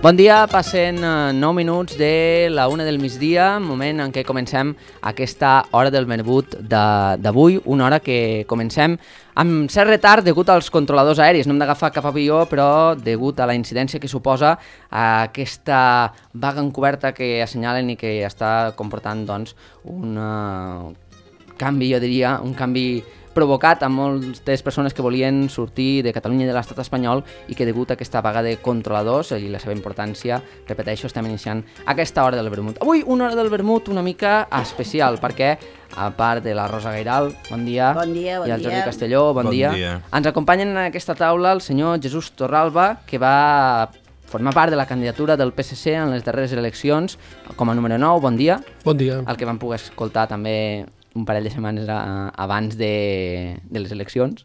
Bon dia, passen 9 minuts de la 1 del migdia, moment en què comencem aquesta hora del Benvingut d'avui, una hora que comencem amb cert retard degut als controladors aèris. No hem d'agafar cap avió, però degut a la incidència que suposa aquesta vaga encoberta que assenyalen i que està comportant doncs, un canvi, jo diria, un canvi provocat a moltes persones que volien sortir de Catalunya i de l'estat espanyol i que degut a aquesta vaga de controladors i la seva importància, repeteixo, estem iniciant aquesta hora del vermut. Avui una hora del vermut una mica especial perquè, a part de la Rosa Gairal, bon dia, i el Jordi Castelló, bon dia, ens acompanyen en aquesta taula el senyor Jesús Torralba, que va formar part de la candidatura del PSC en les darreres eleccions com a número 9, bon dia. Bon dia. El que vam poder escoltar també un parell de setmanes abans de les eleccions.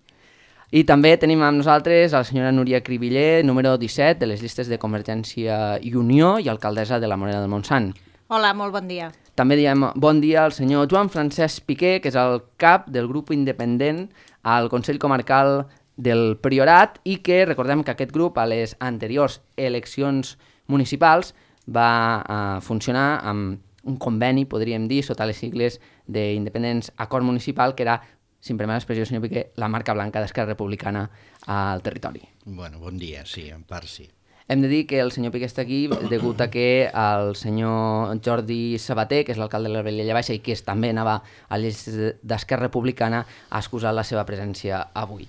I també tenim amb nosaltres a la senyora Núria Cribiller, número 17 de les llistes de Convergència i Unió i alcaldessa de la Morera del Montsant. Hola, molt bon dia. També diem bon dia al senyor Joan Francesc Piqué, que és el cap del grup independent al Consell Comarcal del Priorat i que recordem que aquest grup a les anteriors eleccions municipals va funcionar amb un conveni, podríem dir, sota les sigles d'Independents Acord Municipal, que era, si em permet l'expressió, senyor Piqué, la marca blanca d'Esquerra Republicana al territori. Bueno, bon dia, sí, en part sí. Hem de dir que el senyor Piqué està aquí degut a que el senyor Jordi Sabater, que és l'alcalde de la Vilella Baixa i que també anava a les llistes d'Esquerra Republicana, ha excusat la seva presència avui.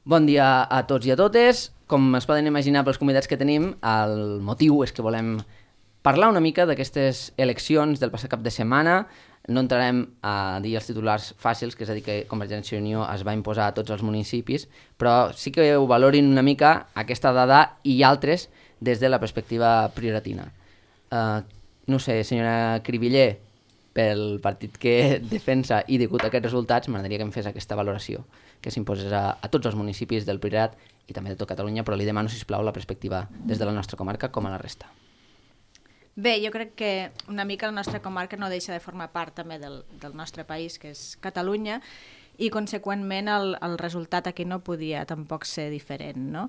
Bon dia a tots i a totes. Com es poden imaginar pels convidats que tenim, el motiu és que volem parlar una mica d'aquestes eleccions del passat cap de setmana. No entrarem a dir els titulars fàcils, que és a dir que Convergència i Unió es va imposar a tots els municipis, però sí que ho valorin una mica aquesta dada i altres des de la perspectiva prioratina. No sé, senyora Cribiller, pel partit que defensa i degut a aquests resultats, m'agradaria que em fes aquesta valoració, que s'imposés a tots els municipis del Priorat i també de tot Catalunya, però li demano, sisplau, la perspectiva des de la nostra comarca com a la resta. Bé, jo crec que una mica la nostra comarca no deixa de formar part també del nostre país, que és Catalunya, i conseqüentment el resultat aquí no podia tampoc ser diferent, no?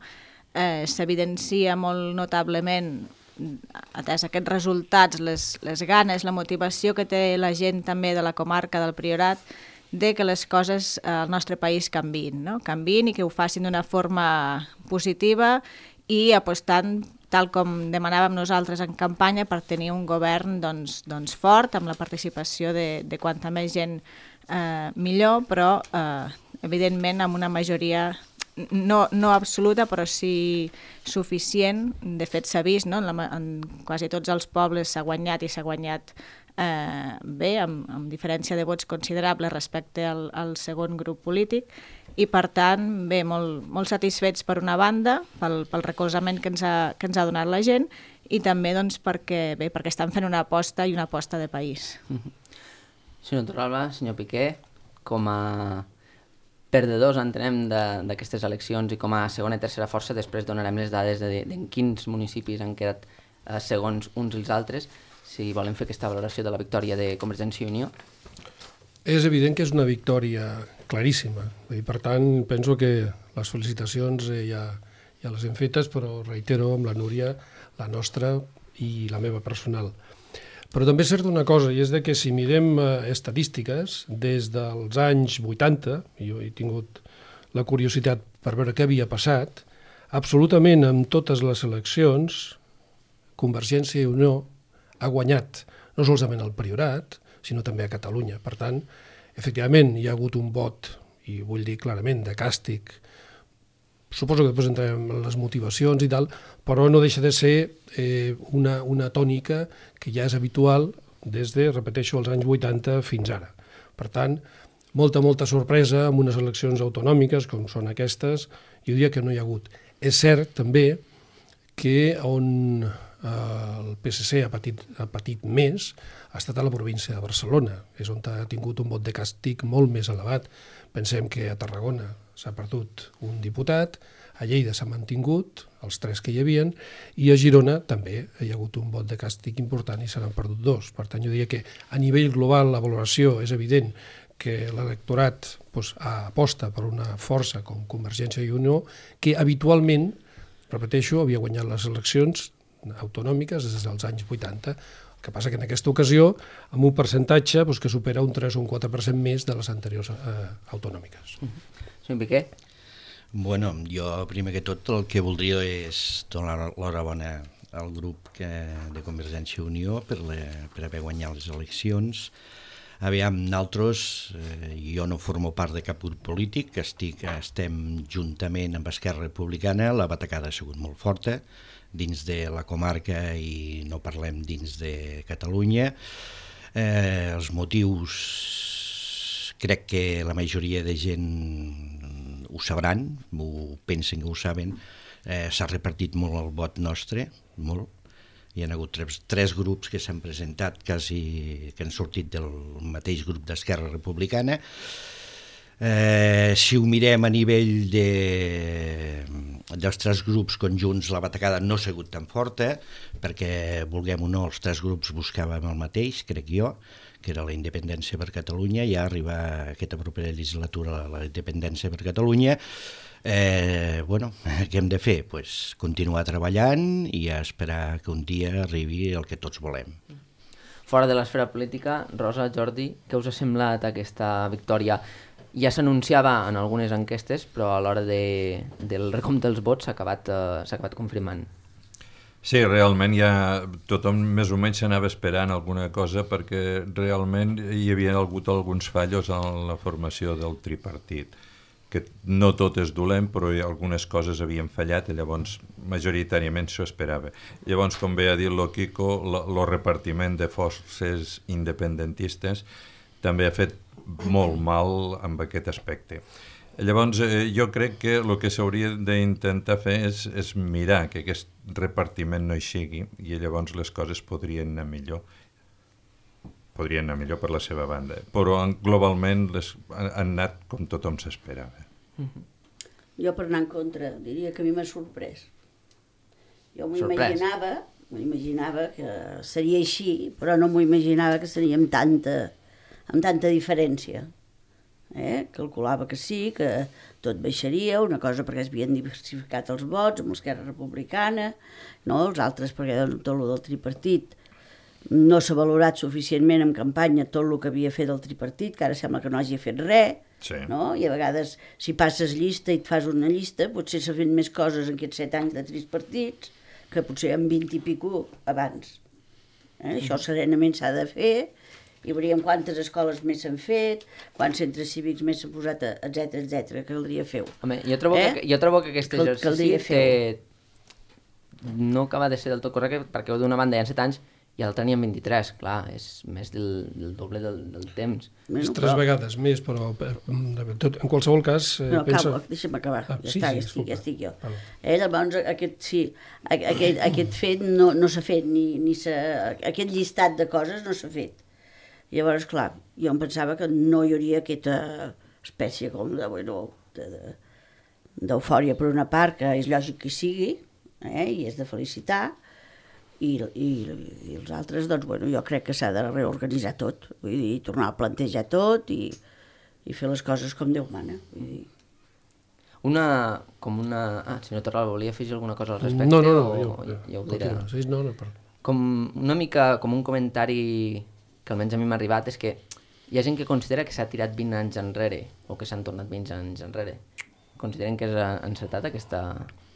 S'evidencia molt notablement, atès aquests resultats, les ganes, la motivació que té la gent també de la comarca del Priorat, de que les coses al nostre país canviïn, no? Canviïn i que ho facin d'una forma positiva i apostant, tal com demanàvem nosaltres en campanya, per tenir un govern doncs fort, amb la participació de quanta més gent millor, però evidentment amb una majoria no absoluta, però sí suficient. De fet s'ha vist, no? En quasi tots els pobles s'ha guanyat i s'ha guanyat bé, amb diferència de vots considerable respecte al segon grup polític, i per tant, bé, molt satisfets per una banda, pel recolzament que ens ha donat la gent, i també doncs, perquè estan fent una aposta i una aposta de país. Senyor Torralba, senyor Piqué, com a perdedors, entenem, d'aquestes eleccions i com a segona i tercera força, després donarem les dades de quins municipis han quedat segons uns i els altres, si volen fer aquesta valoració de la victòria de Convergència i Unió. És evident que és una victòria claríssima. Per tant, penso que les felicitacions ja les hem fetes, però reitero amb la Núria, la nostra i la meva personal. Però també és cert una cosa, i és que si mirem estadístiques, des dels anys 80, jo he tingut la curiositat per veure què havia passat, absolutament en totes les eleccions, Convergència i Unió ha guanyat no solament al Priorat, sinó també a Catalunya. Per tant, efectivament, hi ha hagut un vot, i vull dir clarament, de càstig. Suposo que després entrarem en les motivacions i tal, però no deixa de ser una tònica que ja és habitual des de, repeteixo, els anys 80 fins ara. Per tant, molta sorpresa amb unes eleccions autonòmiques com són aquestes, jo diria que no hi ha hagut. És cert també que on el PSC ha patit més ha estat a la província de Barcelona, és on ha tingut un vot de càstig molt més elevat. Pensem que a Tarragona s'ha perdut un diputat, a Lleida s'ha mantingut, els 3 que hi havien, i a Girona també hi ha hagut un vot de càstig important i se n'han perdut 2. Per tant, jo diria que a nivell global la valoració és evident que l'electorat aposta per una força com Convergència i Unió, que habitualment, repeteixo, havia guanyat les eleccions autonòmiques des dels anys 80. El que passa que en aquesta ocasió, amb un percentatge que supera un 3 o un 4% més de les anteriors autonòmiques. Senyor Piqué? Bueno, jo primer que tot el que voldria és donar l'enhorabona al grup de Convergència i Unió per haver guanyat les eleccions. Aviam, nosaltres, jo no formo part de cap grup polític, estem juntament amb Esquerra Republicana, la batacada ha sigut molt forta dins de la comarca i no parlem dins de Catalunya. Els motius crec que la majoria de gent ho sabran, pensen que ho saben. S'ha repartit molt el vot nostre, molt. Hi ha hagut tres grups que s'han presentat, que han sortit del mateix grup d'Esquerra Republicana. Si ho mirem a nivell dels tres grups conjunts, la batacada no ha sigut tan forta, perquè, vulguem o no, els tres grups buscàvem el mateix, crec jo, que era la independència per Catalunya. Ja arriba aquesta propera legislatura la independència per Catalunya. Bueno, què hem de fer? Pues continuar treballant i esperar que un dia arribi el que tots volem. Fora de l'esfera política, Rosa, Jordi, què us ha semblat aquesta victòria? Ja s'anunciava en algunes enquestes, però a l'hora del recompte dels vots s'ha acabat confirmant. Sí, realment ja tothom més o menys s'anava esperant alguna cosa, perquè realment hi havia hagut alguns fallos en la formació del tripartit, que no tot és dolent, però algunes coses havien fallat i llavors majoritàriament s'ho esperava. Llavors, com bé ha dit el Quico, el repartiment de forces independentistes també ha fet molt mal amb aquest aspecte. Llavors, jo crec que el que s'hauria d'intentar fer és mirar que aquest repartiment no hi sigui i llavors les coses podrien anar millor per la seva banda, però globalment han anat com tothom s'esperava. Jo, per anar en contra, diria que a mi m'ha sorprès. Jo m'imaginava que seria així, però no m'ho imaginava que seria amb tanta diferència. Calculava que sí, que tot baixaria, una cosa perquè es havien diversificat els vots amb l'Esquerra Republicana, no? Els altres perquè tot el del tripartit no s'ha valorat suficientment en campanya tot el que havia fet el tripartit, que ara sembla que no hagi fet res, sí. No? I a vegades si passes llista i et fas una llista potser s'ha fet més coses en aquests 7 anys de tripartits que potser en 20 i pico abans. Això serenament s'ha de fer i veuríem quantes escoles més s'han fet, quants centres cívics més s'han posat, etc, que caldria fer-ho. Home, jo trobo que aquest exercici no acaba de ser del tot correcte, perquè d'una banda hi ha 7 anys i l'altre n'hi ha 23, clar, és més del doble del temps. És 3 vegades més, però en qualsevol cas... No, deixa'm acabar, ja estic jo. Llavors, aquest fet no s'ha fet, aquest llistat de coses no s'ha fet. Llavors, clar, jo em pensava que no hi hauria aquesta espècie com d'eufòria per una part, que és lògic que sigui, i és de felicitar, i els altres, doncs, jo crec que s'ha de reorganitzar tot, vull dir, tornar a plantejar tot i fer les coses com Déu mana. Senyor Torral, volia afegir alguna cosa al respecte? No, ja ho diré. Com una mica com un comentari que almenys a mi m'ha arribat, és que hi ha gent que considera que s'ha tirat 20 anys enrere o que s'han tornat 20 anys enrere. Consideren que és encertat aquesta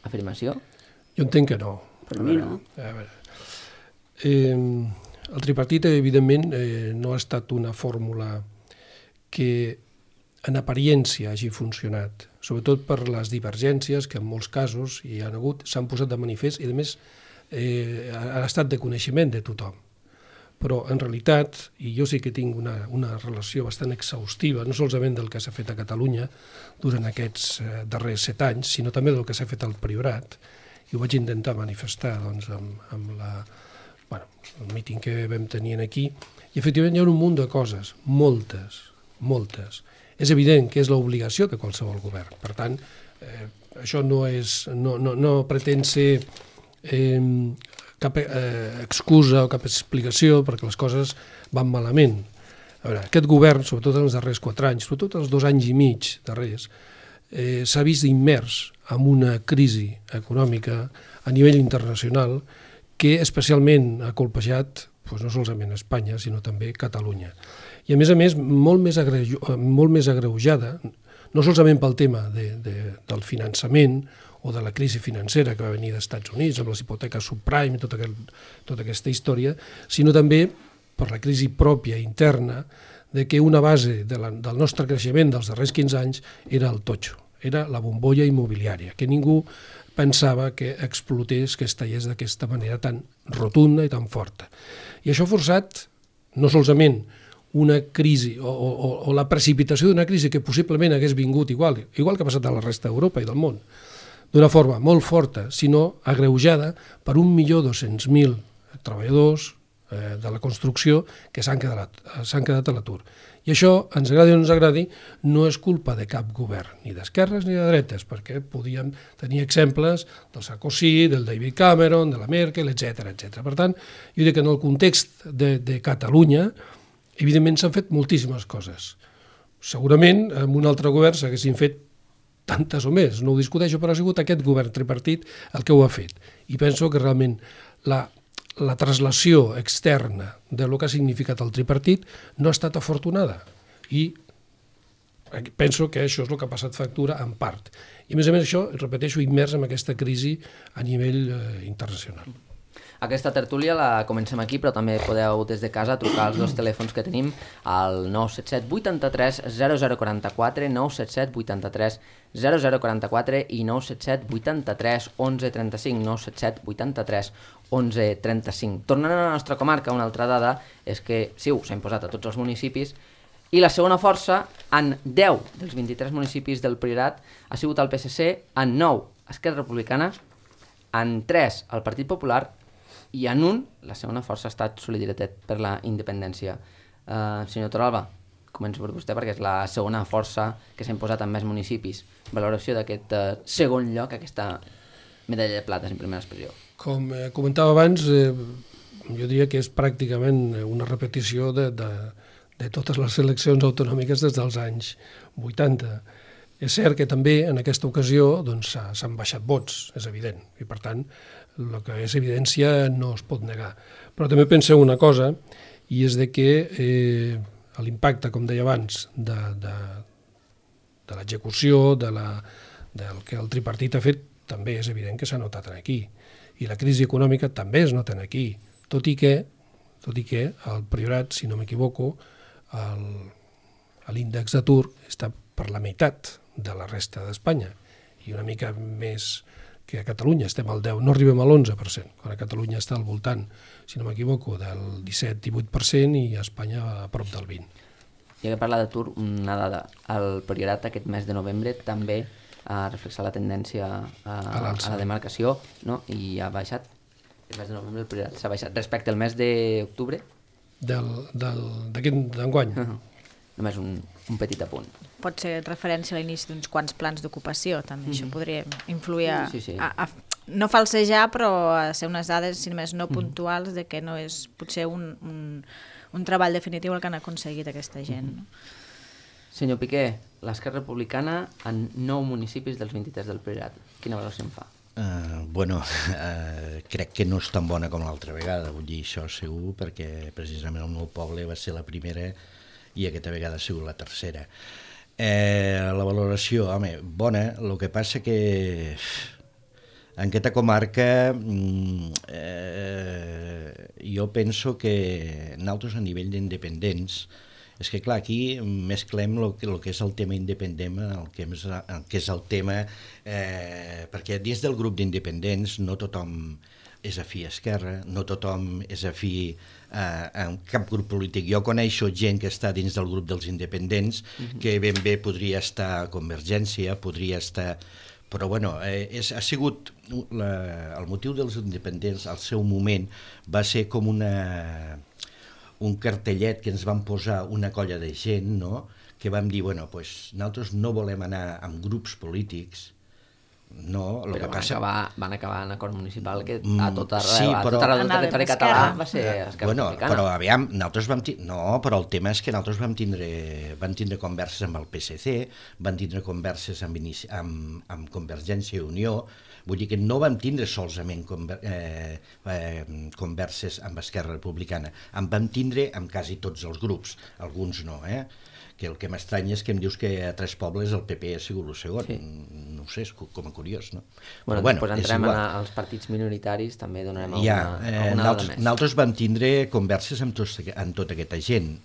afirmació? Jo entenc que no. Per mi no. El tripartit, evidentment, no ha estat una fórmula que en apariència hagi funcionat, sobretot per les divergències que en molts casos hi han hagut, s'han posat de manifest i, a més, han estat de coneixement de tothom. Però, en realitat, i jo sí que tinc una relació bastant exhaustiva, no solament del que s'ha fet a Catalunya durant aquests darrers 7 anys, sinó també del que s'ha fet al Priorat, i ho vaig intentar manifestar amb el míting que vam tenir aquí, i efectivament hi ha un munt de coses, moltes. És evident que és l'obligació de qualsevol govern. Per tant, això no pretén ser cap excusa o cap explicació perquè les coses van malament. A veure, aquest govern, sobretot en els darrers 4 anys, sobretot els 2 anys i mig darrers, s'ha vist immers en una crisi econòmica a nivell internacional que especialment ha colpejat no solament Espanya, sinó també Catalunya. I a més, molt més agreujada, no solament pel tema del finançament o de la crisi financera que va venir dels Estats Units amb les hipoteques subprime i tota aquesta història, sinó també per la crisi pròpia interna de que una base del nostre creixement dels darrers 15 anys era el totxo, era la bombolla immobiliària, que ningú pensava que explotés, que es tallés d'aquesta manera tan rotunda i tan forta. I això ha forçat no solament una crisi o la precipitació d'una crisi que possiblement hagués vingut igual que ha passat a la resta d'Europa i del món, d'una forma molt forta, sinó agreujada per 1.200.000 treballadors de la construcció que s'han quedat a l'atur. I això, ens agradi o no ens agradi, no és culpa de cap govern, ni d'esquerres ni de dretes, perquè podíem tenir exemples del Sarkozy, del David Cameron, de la Merkel, etc. Per tant, jo dic que en el context de Catalunya, evidentment s'han fet moltíssimes coses. Segurament amb un altre govern s'haguessin fet tantes o més, no ho discuteixo, però ha sigut aquest govern tripartit el que ho ha fet. I penso que realment la translació externa de lo que ha significat el tripartit no ha estat afortunada. I penso que això és el que ha passat factura en part. I a més això, repeteixo, immers en aquesta crisi a nivell internacional. Aquesta tertúlia la comencem aquí, però també podeu des de casa trucar als dos telèfons que tenim, al 977 83 0044, 977 83 0044 i 977 83 11 35, 977 83 11 35. Tornant a la nostra comarca, una altra dada és que CiU s'ha imposat a tots els municipis i la segona força en 10 dels 23 municipis del Priorat ha sigut el PSC, en 9 Esquerra Republicana, en 3 el Partit Popular i en un, la segona força ha estat Solidaritat per la Independència. Senyor Torralba, començo per vostè perquè és la segona força que s'ha imposat en més municipis. Valoració d'aquest segon lloc, aquesta medalla de plata, en primera expressió. Com comentava abans, jo diria que és pràcticament una repetició de totes les eleccions autonòmiques des dels anys 80. És cert que també en aquesta ocasió s'han baixat vots, és evident, i per tant el que és evidència no es pot negar. Però també penseu una cosa, i és de que l'impacte, com deia abans, de l'execució, del que el tripartit ha fet, també és evident que s'ha notat aquí. I la crisi econòmica també es nota aquí, tot i que el Priorat, si no m'equivoco, l'índex d'atur està per la meitat de la resta d'Espanya, i una mica més que a Catalunya estem al 10, no arribem a l'11%, quan a Catalunya està al voltant, si no m'equivoco, del 17-18% i a Espanya a prop del 20%. Ja que parla d'atur, una dada, el Priorat aquest mes de novembre també ha reflexat la tendència a la demarcació, no? I ha baixat, el mes de novembre el Priorat s'ha baixat respecte al mes d'octubre? D'enguany. Només un petit apunt. Pot ser referència a l'inici d'uns quants plans d'ocupació, també. Això podria influir a no falsejar, però a ser unes dades, si només no puntuals, de que no és potser un treball definitiu el que han aconseguit aquesta gent. No? Senyor Piqué, l'Esquerra Republicana en 9 municipis dels 23 del Priorat. Quina valoració en fa? Crec que no és tan bona com l'altra vegada, vull dir això segur, perquè precisament el meu poble va ser la primera i aquesta vegada ha sigut la tercera. La valoració, home, bona, el que passa que en aquesta comarca jo penso que nosaltres a nivell d'independents, és que clar, aquí mesclem el que és el tema independent, el que és el tema, perquè dins del grup d'independents no tothom és afí a Esquerra, no tothom és afí a cap grup polític. Jo coneixo gent que està dins del grup dels independents, que ben bé podria estar a Convergència, podria estar... Però bueno, ha sigut el motiu dels independents al seu moment va ser com un cartellet que ens van posar una colla de gent, no? Que vam dir, bueno, pues, nosaltres no volem anar amb grups polítics No, el que passa... Van acabar en acord municipal que a tot arreu, sí, a però... tot arreu del territori català va ser Esquerra Republicana. Però aviam, nosaltres vam tindre... No, però el tema és que nosaltres vam tindre converses amb el PSC, van tindre converses amb Convergència i Unió, vull dir que no vam tindre solament converses amb Esquerra Republicana, en vam tindre amb quasi tots els grups, alguns no, que el que m'estranya és que em dius que a 3 pobles el PP ha sigut el segon. Sí. No ho sé, és com a curiós, no? Bueno, després entrem als partits minoritaris, també donarem alguna dada més. Nosaltres vam tindre converses amb tota aquesta gent,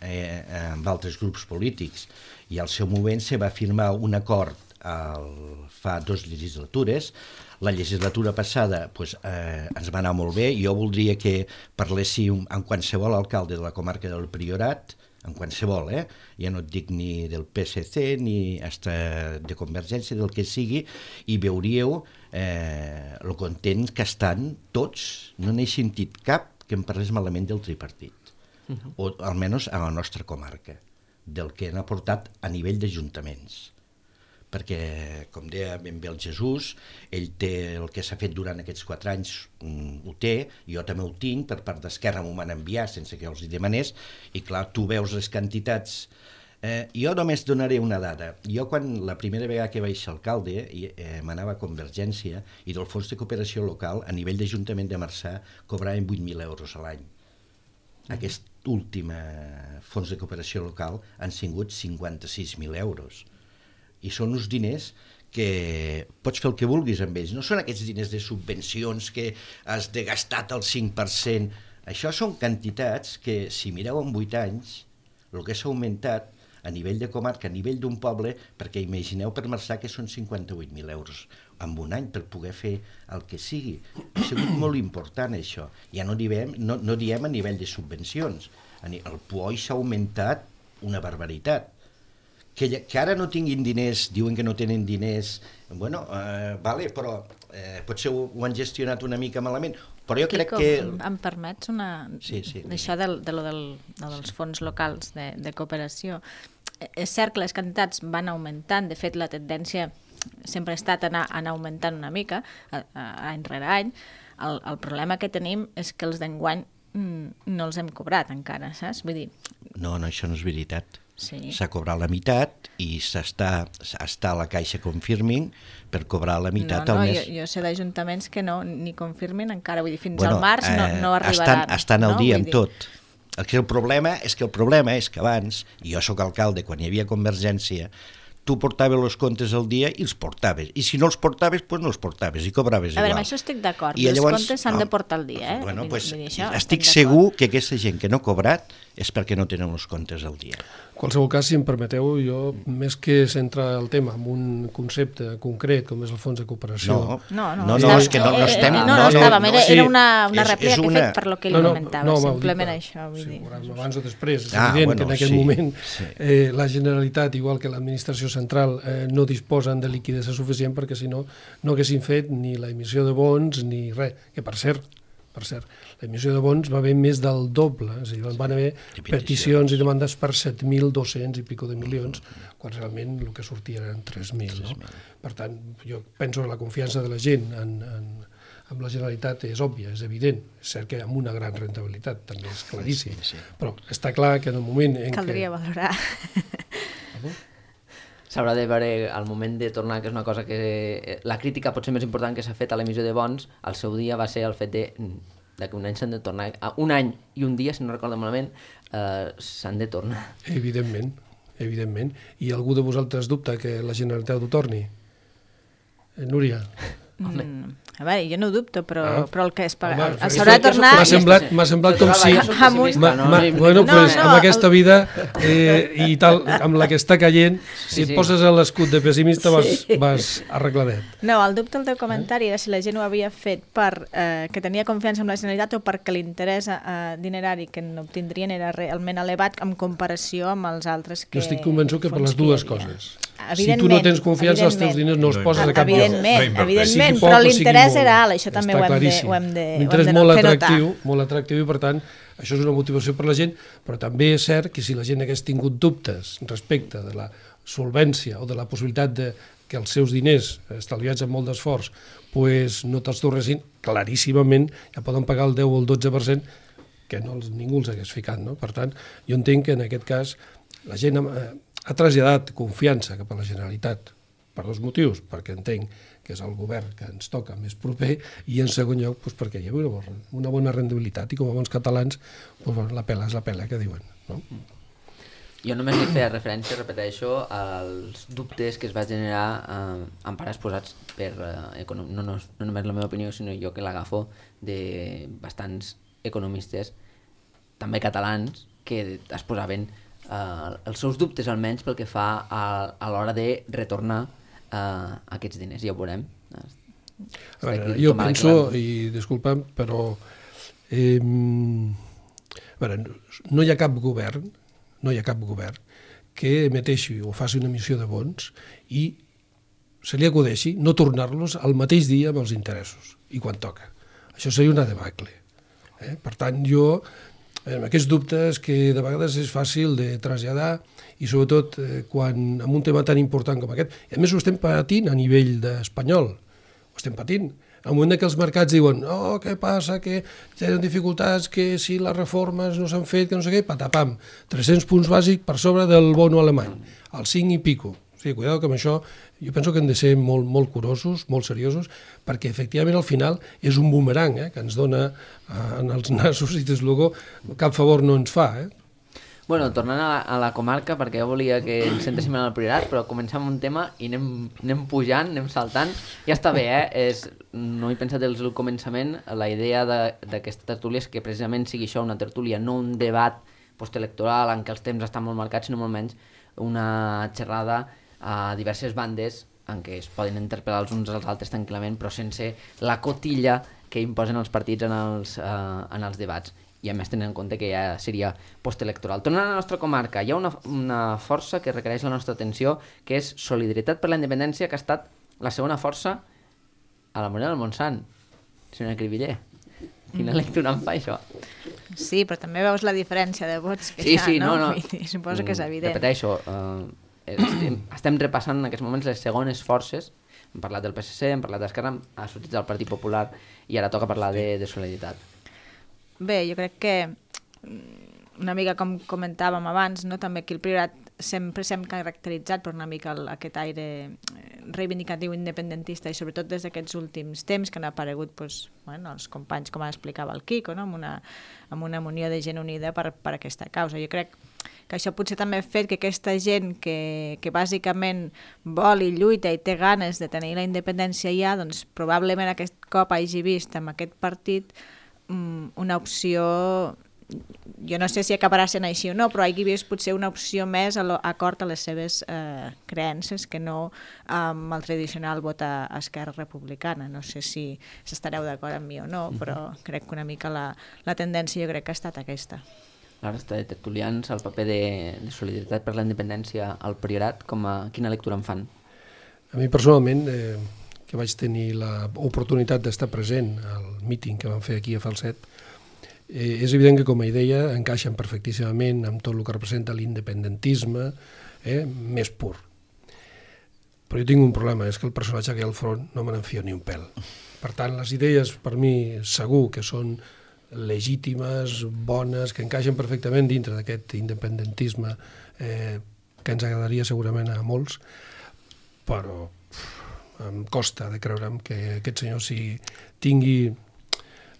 amb altres grups polítics, i al seu moment se va firmar un acord fa 2 legislatures. La legislatura passada ens va anar molt bé, i jo voldria que parléssim amb qualsevol alcalde de la comarca del Priorat, en qualsevol, ja no et dic ni del PSC ni hasta de Convergència, del que sigui, i veuríeu el content que estan tots. No n'he sentit cap que em parlés malament del tripartit, o almenys a la nostra comarca, del que han aportat a nivell d'ajuntaments. Perquè, com deia ben bé el Jesús, ell té el que s'ha fet durant aquests 4 anys, ho té, jo també ho tinc, per part d'Esquerra m'ho van enviar sense que els hi demanés, i clar, tu veus les quantitats. Jo només donaré una dada. Jo, quan la primera vegada que vaig ser alcalde, m'anava a Convergència, i del Fons de Cooperació Local, a nivell d'Ajuntament de Marçà, cobraven 8.000 euros a l'any. Aquest últim Fons de Cooperació Local han sigut 56.000 euros. I són uns diners que pots fer el que vulguis amb ells. No són aquests diners de subvencions que has de gastar el 5%. Això són quantitats que, si mireu en 8 anys, el que s'ha augmentat a nivell de comarca, a nivell d'un poble, perquè imagineu per Marçà que són 58.000 euros en un any per poder fer el que sigui. Ha sigut molt important això. Ja no diem a nivell de subvencions. El POI s'ha augmentat una barbaritat. Que ara no tinguin diners, diuen que no tenen diners, bueno, vale, però potser ho han gestionat una mica malament, però jo crec que... Em permets d'això dels fons locals de cooperació? És cert que les quantitats van augmentant, de fet la tendència sempre ha estat anar augmentant una mica, any rere any. El problema que tenim és que els d'enguany no els hem cobrat encara, saps? Vull dir... No, això no és veritat. Sí. S'ha cobrat la meitat i està a la Caixa Confirming per cobrar la meitat al mes. Jo sé d'ajuntaments que no, ni confirmin encara, vull dir, fins al març no arribaran. Estan al dia amb tot. El problema és que abans, i jo sóc alcalde, quan hi havia Convergència, tu portaves els comptes al dia i els portaves, i si no els portaves, doncs no els portaves i cobraves igual. A veure, amb això estic d'acord, els comptes s'han de portar al dia. Bueno, estic segur que aquesta gent que no ha cobrat és perquè no tenen els comptes al dia. En qualsevol cas, si em permeteu, jo, més que centrar el tema en un concepte concret, com és el fons de cooperació... És que no estem... Era una rèplica que he fet per lo que li comentava, simplement això. Abans o després, és evident que en aquest moment la Generalitat, igual que l'administració central, no disposen de liquiditat suficient perquè si no, no haguessin fet ni la emissió de bons ni res, que per cert, la emissió de bons va haver més del doble, és a dir, van haver peticions i demandes per 7.200 i pico de milions, quan realment el que sortia eren 3.000. No? Per tant, jo penso que la confiança de la gent amb la Generalitat és òbvia, és evident. És cert que amb una gran rentabilitat, també és claríssim. Però està clar que en el moment en què... Caldria valorar. S'haurà de veure al moment de tornar, que és una cosa que... La crítica potser més important que s'ha fet a l'emissió de bons, al seu dia va ser el fet de que un any s'han de tornar... Un any i un dia, si no recordo malament, s'han de tornar. Evidentment. I algú de vosaltres dubta que la Generalitat ho torni? Núria? A veure, jo no ho dubto, però el que es paga... S'haurà de tornar... M'ha semblat com si... Bueno, doncs amb aquesta vida i tal, amb la que està caient, si et poses a l'escut de pessimista vas arregladet. No, el dubte del teu comentari era si la gent ho havia fet perquè tenia confiança en la Generalitat o perquè l'interès dinerari que n'obtindrien era realment elevat en comparació amb els altres que... Jo estic convençut que per les dues coses. Si tu no tens confiança, els teus diners no els poses a cap lloc. Evidentment, però l'interès era alt, això també ho hem de fer notar. Molt atractiu i per tant això és una motivació per la gent, però també és cert que si la gent hagués tingut dubtes respecte de la solvència o de la possibilitat de que els seus diners, estalviats amb molt d'esforç, no te'ls tornessin, claríssimament ja poden pagar el 10 o el 12% que ningú els hagués ficat. No? Per tant, jo entenc que en aquest cas la gent ha traslladat confiança cap a la Generalitat per dos motius, perquè entenc que és el govern que ens toca més proper, i en segon lloc perquè hi ha una bona rendibilitat, i com a bons catalans la pela és la pela, que diuen. No? Jo només li feia referència, repeteixo, als dubtes que es va generar en part exposats per, no només la meva opinió, sinó jo que l'agafo de bastants economistes, també catalans, que es posaven els seus dubtes almenys pel que fa a l'hora de retornar aquests diners. Ja ho veurem. A veure, jo penso, i disculpa'm, però no hi ha cap govern que emeteixi o faci una emissió de bons i se li acudeixi no tornar-los al mateix dia amb els interessos i quan toca. Això seria una debacle. Per tant, jo, amb aquests dubtes que de vegades és fàcil de traslladar, i sobretot quan en un tema tan important com aquest, i a més ho estem patint a nivell espanyol, ho estem patint. Al moment que els mercats diuen què passa, que tenen dificultats, que si les reformes no s'han fet, que no sé què, patapam, 300 punts bàsics per sobre del bono alemany, al 5 i pico. O sigui, cuidado que amb això jo penso que hem de ser molt curosos, molt seriosos, perquè efectivament al final és un boomerang que ens dona en els nassos i des luego cap favor no ens fa. Bueno, tornant a la comarca, perquè jo volia que ens centréssim en el Priorat, però comencem un tema i anem pujant, anem saltant. Ja està bé, no he pensat des del començament. La idea d'aquesta tertúlia és que precisament sigui això, una tertúlia, no un debat postelectoral en què els temps estan molt marcats, sinó molt menys una xerrada a diverses bandes en què es poden interpel·lar els uns als altres tranquil·lament, però sense la cotilla que imposen els partits en els debats. I a més tenint en compte que ja seria postelectoral. Tornant a la nostra comarca, hi ha una força que requereix la nostra atenció, que és Solidaritat per la Independència, que ha estat la segona força a la Morera del Montsant. Senyora Cribiller, quina lectura em fa això? Sí, però també veus la diferència de vots que hi ha, no? Suposo que és evident. Repeteixo, estem repassant en aquests moments les segones forces. Hem parlat del PSC, hem parlat d'Esquerra, ha sortit del Partit Popular i ara toca parlar de Solidaritat. Bé, jo crec que una mica com comentàvem abans, no? També aquí el Priorat sempre s'hem caracteritzat per una mica aquest aire reivindicatiu independentista i sobretot des d'aquests últims temps que han aparegut els companys, com explicava el Quico, no? amb una munió de gent unida per aquesta causa. Jo crec que això potser també ha fet que aquesta gent que bàsicament vol i lluita i té ganes de tenir la independència ja, doncs probablement aquest cop hagi vist amb aquest partit una opció, jo no sé si acabarà sent així o no, però hagi vist potser una opció més acord a les seves creences que no amb el tradicional vot a Esquerra Republicana. No sé si estareu d'acord amb mi o no, però crec que una mica la tendència jo crec que ha estat aquesta. La resta de tertulians, el paper de Solidaritat per la Independència al Priorat, quina lectura en fan? A mi personalment, que vaig tenir l'oportunitat d'estar present al míting que vam fer aquí a Falset, és evident que, com a idea, encaixen perfectíssimament amb tot el que representa l'independentisme més pur. Però jo tinc un problema, és que el personatge que hi ha al front no me n'enfio ni un pèl. Per tant, les idees, per mi, segur que són legítimes, bones, que encaixen perfectament dintre d'aquest independentisme que ens agradaria segurament a molts, però em costa de creure'm que aquest senyor tingui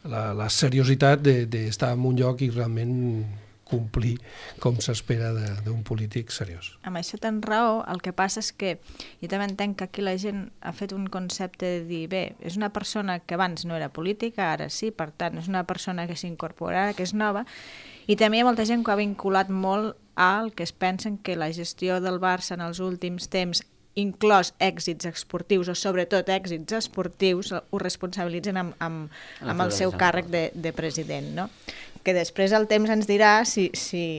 la seriositat d'estar en un lloc i realment complir com s'espera d'un polític seriós. Amb això tens raó, el que passa és que jo també entenc que aquí la gent ha fet un concepte de dir, bé, és una persona que abans no era política, ara sí, per tant, és una persona que s'incorpora, que és nova, i també hi ha molta gent que ha vinculat molt al que es pensen que la gestió del Barça en els últims temps, inclòs èxits esportius o sobretot èxits esportius, ho responsabilitzen amb el seu càrrec de president, no? que després el temps ens dirà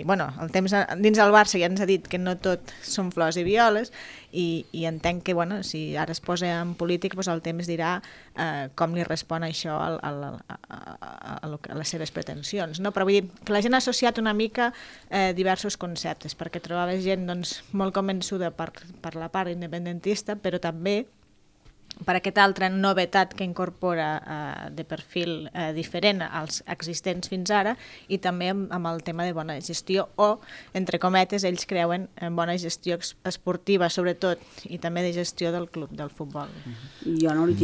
bueno, el temps dins del Barça ja ens ha dit que no tot són flors i violes, i entenc que, bueno, si ara es posa en polític, doncs el temps dirà com li respon això a les seves pretensions, no? Però vull dir que la gent ha associat una mica diversos conceptes, perquè trobava gent doncs, molt convençuda per la part independentista, però també per aquesta altra novetat que incorpora de perfil diferent als existents fins ara, i també amb el tema de bona gestió, o, entre cometes, ells creuen en bona gestió esportiva, sobretot, i també de gestió del club, del futbol. Jo no li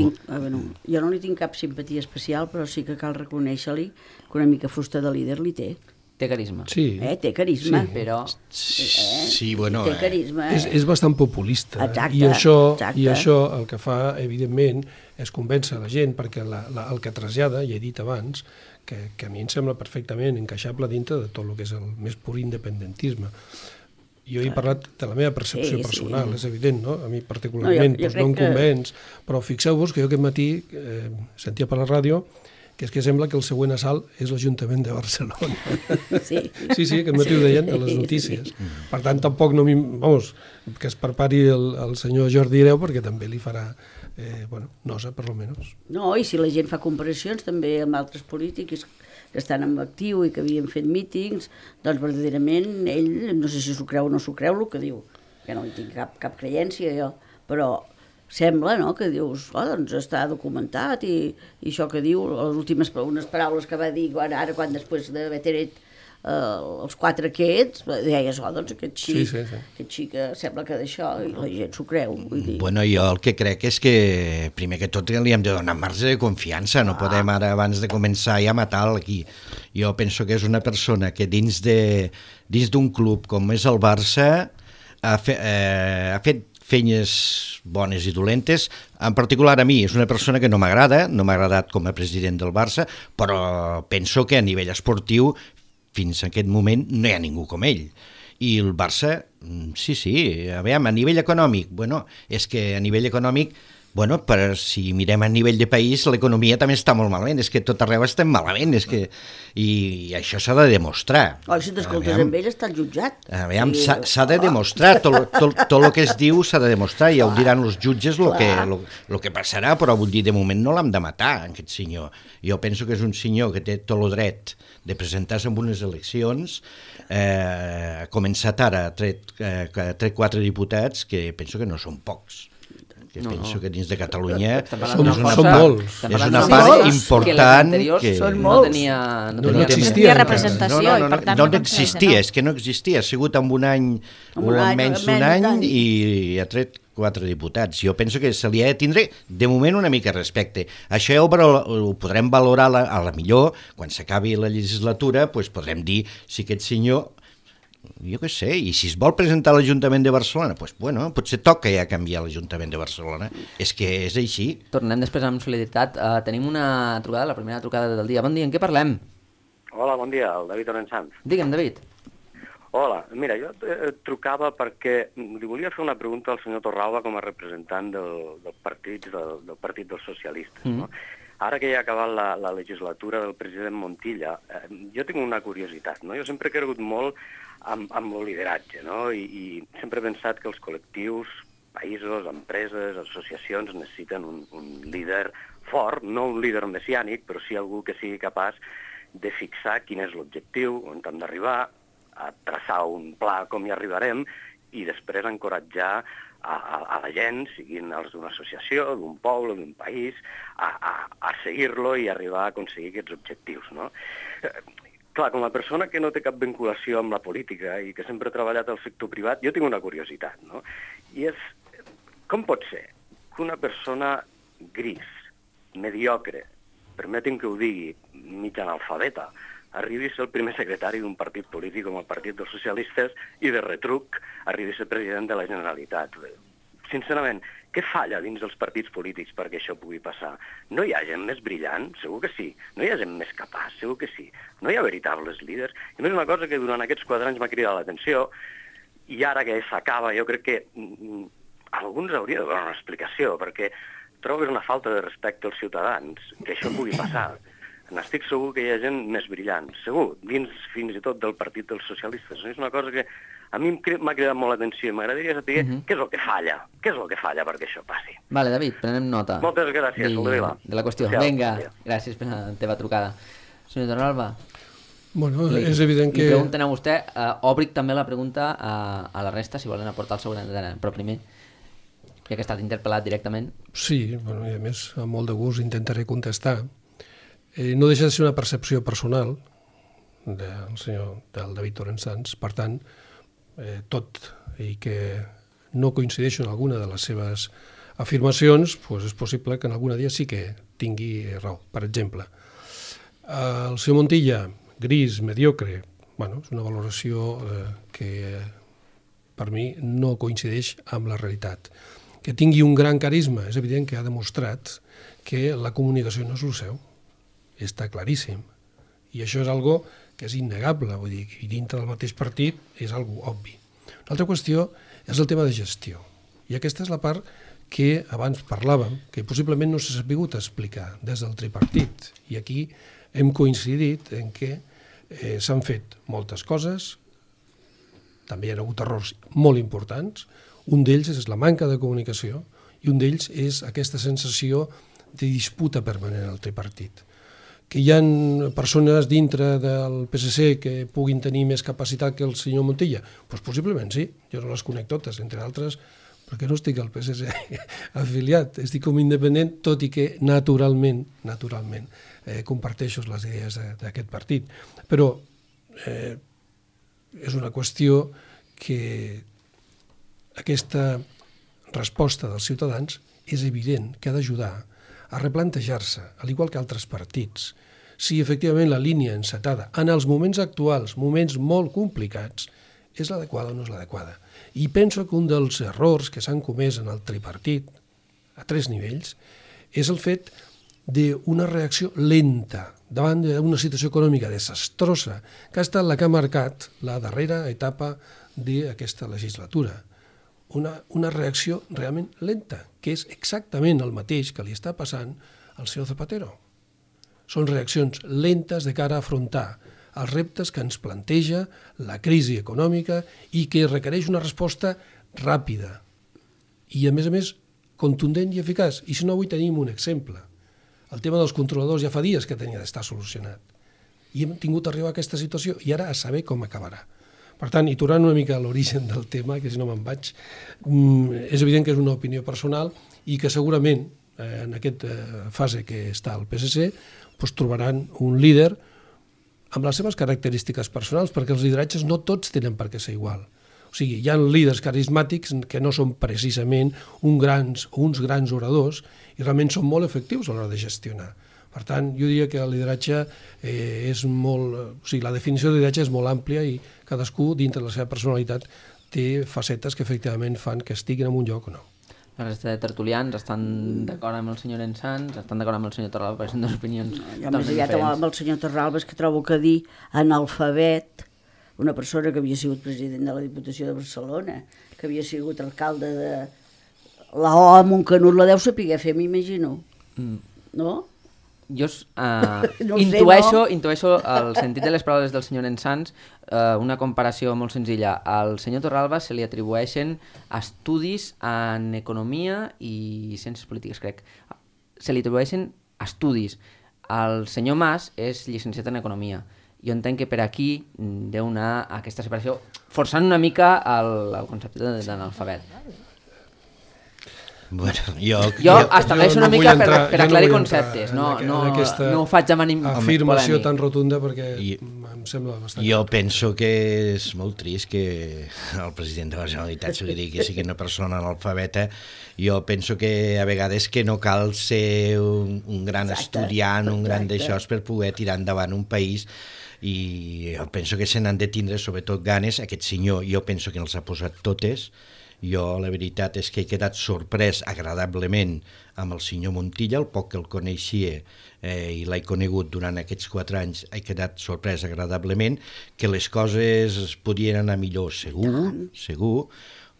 tinc cap simpatia especial, però sí que cal reconèixer-li que una mica fusta de líder li té. Té carisma. Sí. Té carisma. Sí, però... Sí, bueno... Té carisma. És bastant populista. Exacte, I això el que fa, evidentment, és convèncer la gent, perquè el que trasllada, ja he dit abans, que a mi em sembla perfectament encaixable dintre de tot el que és el més pur independentisme. Jo he parlat de la meva percepció personal, és evident, no? A mi particularment no em convenç, però fixeu-vos que jo aquest matí sentia per la ràdio que és que sembla que el següent assalt és l'Ajuntament de Barcelona. Sí, aquest matí ho deien a les notícies. Per tant, tampoc no vamos, que es prepari el senyor Jordi Hereu, perquè també li farà nosa, per almenys. No, i si la gent fa comparacions també amb altres polítics que estan en actiu i que havien fet mítings, doncs verdaderament ell, no sé si s'ho creu o no s'ho creu el que diu, que no hi tinc cap creència jo, però sembla, no?, que dius, doncs està documentat i això que diu, les últimes unes paraules que va dir ara quan després d'haver tret els 4 aquests, deies, doncs aquest xic sembla que d'això i la gent s'ho creu. Vull dir. Bueno, jo el que crec és que primer que tot li hem de donar marge de confiança, no podem ara abans de començar ja matar-lo aquí. Jo penso que és una persona que dins d'un club com és el Barça ha fet feines bones i dolentes, en particular a mi, és una persona que no m'ha agradat com a president del Barça, però penso que a nivell esportiu, fins a aquest moment, no hi ha ningú com ell. I el Barça, a nivell econòmic, és que a nivell econòmic, si mirem a nivell de país, l'economia també està molt malament, és que tot arreu estem malament, i això s'ha de demostrar. Si t'escoltes amb ell està jutjat. S'ha de demostrar, tot el que es diu s'ha de demostrar, ja ho diran els jutges el que passarà, però vull dir, de moment no l'hem de matar, aquest senyor. Jo penso que és un senyor que té tot el dret de presentar-se en unes eleccions, ha començat ara, ha tret 4 diputats, que penso que no són pocs. Penso que dins de Catalunya són molts. És una part important que no existia representació. No existia, és que no existia. Ha sigut en un any, menys d'un any, i ha tret 4 diputats. Jo penso que se li ha de tindre, de moment, una mica respecte. Això ja ho podrem valorar a la millor, quan s'acabi la legislatura, podrem dir si aquest senyor, jo què sé, i si es vol presentar a l'Ajuntament de Barcelona, potser toca ja canviar l'Ajuntament de Barcelona. És que és així. Tornem després amb solidaritat. Tenim una trucada, la primera trucada del dia. Bon dia, en què parlem? Hola, bon dia, el David Orensanz. Digue'm, David. Hola, mira, jo trucava perquè li volia fer una pregunta al senyor Torralba com a representant del Partit dels Socialistes. No? Ara que ja ha acabat la legislatura del president Montilla, jo tinc una curiositat. No? Jo sempre he cregut molt amb el lideratge, no? I sempre he pensat que els col·lectius, països, empreses, associacions necessiten un líder fort, no un líder messiànic, però sí algú que sigui capaç de fixar quin és l'objectiu, on hem d'arribar, a traçar un pla com hi arribarem i després encoratjar a la gent, siguin els d'una associació, d'un poble, d'un país, a seguir-lo i arribar a aconseguir aquests objectius, no? Clar, com a persona que no té cap vinculació amb la política i que sempre ha treballat al sector privat, jo tinc una curiositat, no? I és, com pot ser que una persona gris, mediocre, permetin que ho digui, mig analfabeta, arribi a ser el primer secretari d'un partit polític com el Partit dels Socialistes i de retruc arribi a ser president de la Generalitat? Sincerament, què falla dins dels partits polítics perquè això pugui passar? No hi ha gent més brillant? Segur que sí. No hi ha gent més capaç? Segur que sí. No hi ha veritables líders? I més una cosa que durant aquests 4 anys m'ha cridat l'atenció, i ara que s'acaba jo crec que alguns hauria de donar una explicació, perquè trobo que és una falta de respecte als ciutadans que això pugui passar. n'estic segur que hi ha gent més brillant, segur, dins fins i tot del Partit dels Socialistes. És una cosa que a mi m'ha cridat molt l'atenció i m'agradaria saber què és el que falla, perquè això passi. Vale, David, prenem nota. Moltes gràcies, Soldevila. De la qüestió. Vinga, gràcies per la teva trucada. Senyor Torralba. Bueno, és evident que... Li pregunten a vostè, obric també la pregunta a la resta, si volen aportar el seu gran d'ara, però primer, ja que ha estat interpel·lat directament. Sí, bueno, i a més, amb molt de gust intentaré contestar. No deixa de ser una percepció personal del David Torrent Sans, per tant, tot i que no coincideixo en alguna de les seves afirmacions, doncs és possible que en alguna dia sí que tingui raó. Per exemple, el senyor Montilla, gris, mediocre, bueno, és una valoració que per mi no coincideix amb la realitat. Que tingui un gran carisma, és evident que ha demostrat que la comunicació no és el seu, està claríssim. I això és algo que és innegable, vull dir, i dintre del mateix partit és algo obvi. Una altra qüestió és el tema de gestió. I aquesta és la part que abans parlàvem, que possiblement no s'ha sabut explicar des del tripartit. I aquí hem coincidit en què s'han fet moltes coses, també hi ha hagut errors molt importants, un d'ells és la manca de comunicació i un d'ells és aquesta sensació de disputa permanent al tripartit. Que hi ha persones dintre del PSC que puguin tenir més capacitat que el senyor Montilla? Doncs possiblement sí, jo no les conec totes, entre altres, perquè no estic al PSC afiliat, estic com independent, tot i que naturalment comparteixo les idees d'aquest partit. Però és una qüestió que aquesta resposta dels ciutadans és evident que ha d'ajudar a replantejar-se, al igual que altres partits, si efectivament la línia encetada en els moments actuals, moments molt complicats, és l'adequada o no és l'adequada. I penso que un dels errors que s'han comès en el tripartit, a 3 nivells, és el fet d'una reacció lenta davant d'una situació econòmica desastrosa que ha estat la que ha marcat la darrera etapa d'aquesta legislatura. Una reacció realment lenta, que és exactament el mateix que li està passant al senyor Zapatero. Són reaccions lentes de cara a afrontar els reptes que ens planteja la crisi econòmica i que requereix una resposta ràpida i, a més, contundent i eficaç. I si no, avui tenim un exemple. El tema dels controladors ja fa dies que tenia d'estar solucionat. I hem tingut d'arribar a aquesta situació i ara a saber com acabarà. Per tant, i tornant una mica a l'origen del tema, que si no me'n vaig, és evident que és una opinió personal i que segurament en aquesta fase que està al PSC trobaran un líder amb les seves característiques personals, perquè els lideratges no tots tenen per què ser igual. O sigui, hi ha líders carismàtics que no són precisament uns grans oradors i realment són molt efectius a l'hora de gestionar. Per tant, jo diria que el lideratge és molt... O sigui, la definició de lideratge és molt àmplia i cadascú, dintre de la seva personalitat, té facetes que efectivament fan que estiguin en un lloc o no. La resta de tertulians estan d'acord amb el senyor Ensans, estan d'acord amb el senyor Torralba, perquè són dues opinions totalment diferents. Amb el senyor Torralba és que trobo que dir analfabet, una persona que havia sigut president de la Diputació de Barcelona, que havia sigut alcalde de la O a Montcanut, la deu saber fer, m'imagino. No? Jo intueixo el sentit de les paraules del senyor Ensans, una comparació molt senzilla. Al senyor Torralba se li atribueixen estudis en economia i ciències polítiques, crec. Se li atribueixen estudis. El senyor Mas és llicenciat en economia. Jo entenc que per aquí deu anar aquesta separació, forçant una mica el concepte d'analfabet. Bueno, jo estableixo una mica per aclarir conceptes, no ho faig amb ànim polèmic. Afirmació tan rotunda perquè em sembla bastant... Jo penso que és molt trist que el president de la Generalitat sigui una persona analfabeta. Jo penso que a vegades que no cal ser un gran estudiant, un gran d'això per poder tirar endavant un país, i jo penso que se n'han de tindre sobretot ganes. Aquest senyor jo penso que els ha posat totes. Jo la veritat és que he quedat sorprès agradablement amb el senyor Montilla, el poc que el coneixia i l'he conegut durant aquests 4 anys, he quedat sorprès agradablement, que les coses podien anar millor, segur,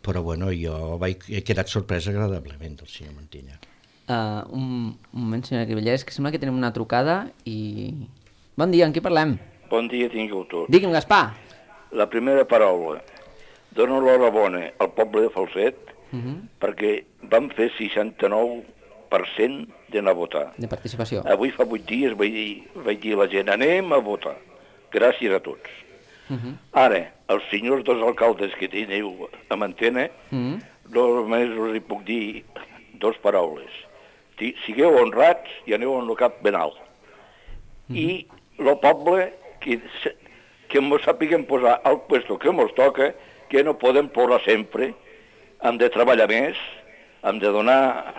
però bueno, jo he quedat sorprès agradablement del senyor Montilla. Un moment, senyora Cribellers, que sembla que tenim una trucada i... Bon dia, amb qui parlem? Bon dia, tingueu tots. Digui'm, Gaspar. La primera paraula. Dono l'horabona al poble de Falset perquè vam fer 69% d'anar a votar. De participació. Avui fa 8 dies vaig dir a la gent, anem a votar. Gràcies a tots. Ara, els senyors dos alcaldes que teniu a Mantena, només us hi puc dir 2 paraules. Sigueu honrats i aneu amb el cap ben alt. I el poble que ens sàpiguen posar al puesto que ens toca, que no podem plorar sempre, hem de treballar més, hem de donar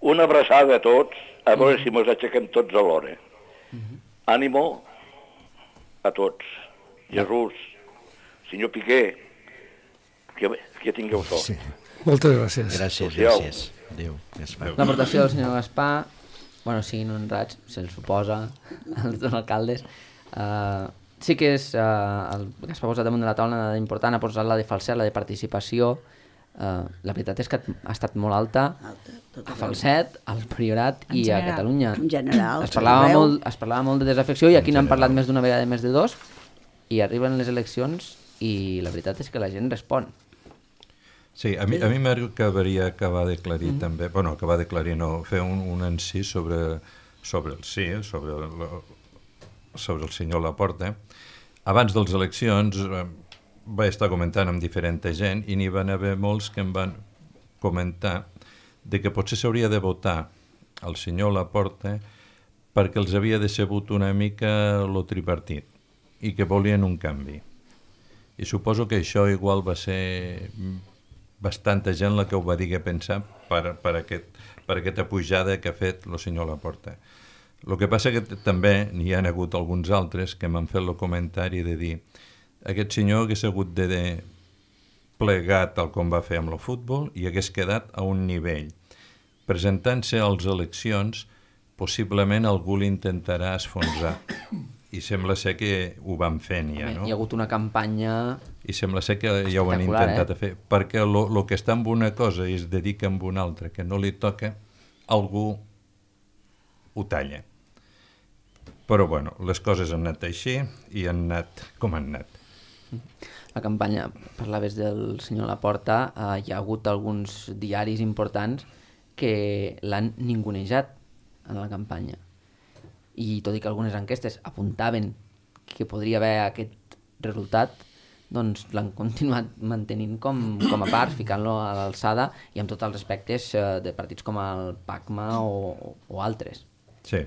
una abraçada a tots, a veure si ens aixequem tots alhora. Ànimo a tots. Jesús, senyor Piqué, que tingueu sort. Sí. Moltes gràcies. Gràcies. Adéu, Gaspar. L'aportació del senyor Gaspar, bueno, siguin honrats, se'ls suposa, els dos alcaldes. Sí que és, el Gaspar ha posat damunt de la taula una dada important, ha posat la de Falset, la de participació. La veritat és que ha estat molt alta a Falset, al Priorat i a Catalunya. En general. Es parlava molt de desafecció i aquí n'han parlat més d'una vegada, més de 2, i arriben les eleccions i la veritat és que la gent respon. Sí, a mi m'agradaria acabar d'aclarir també, bueno, acabar d'aclarir no, fer un encís sobre el sí, sobre el senyor Laporta. Abans de les eleccions vaig estar comentant amb diferent gent i n'hi van haver molts que em van comentar de que potser s'hauria de votar el senyor Laporta perquè els havia decebut una mica lo tripartit i que volien un canvi. I suposo que això igual va ser bastanta gent la que ho va dir que pensar per aquesta pujada que ha fet el senyor Laporta. El que passa que també n'hi ha hagut alguns altres que m'han fet el comentari de dir aquest senyor hagués hagut de plegar tal com va fer amb el futbol i hagués quedat a un nivell. Presentant-se a les eleccions, possiblement algú l'intentarà esfonsar. I sembla ser que ho van fent ja, no? Hi ha hagut una campanya... I sembla ser que ja ho han intentat fer. Perquè el que està amb una cosa i es dedica amb una altra, que no li toca, algú ho talla. Però, bueno, les coses han anat així i han anat com han anat. La campanya, parlaves del senyor Laporta, hi ha hagut alguns diaris importants que l'han ningunejat en la campanya. I tot i que algunes enquestes apuntaven que podria haver aquest resultat, doncs l'han continuat mantenint com a part, ficant-lo a l'alçada i amb tots els aspectes de partits com el PACMA o altres. Sí.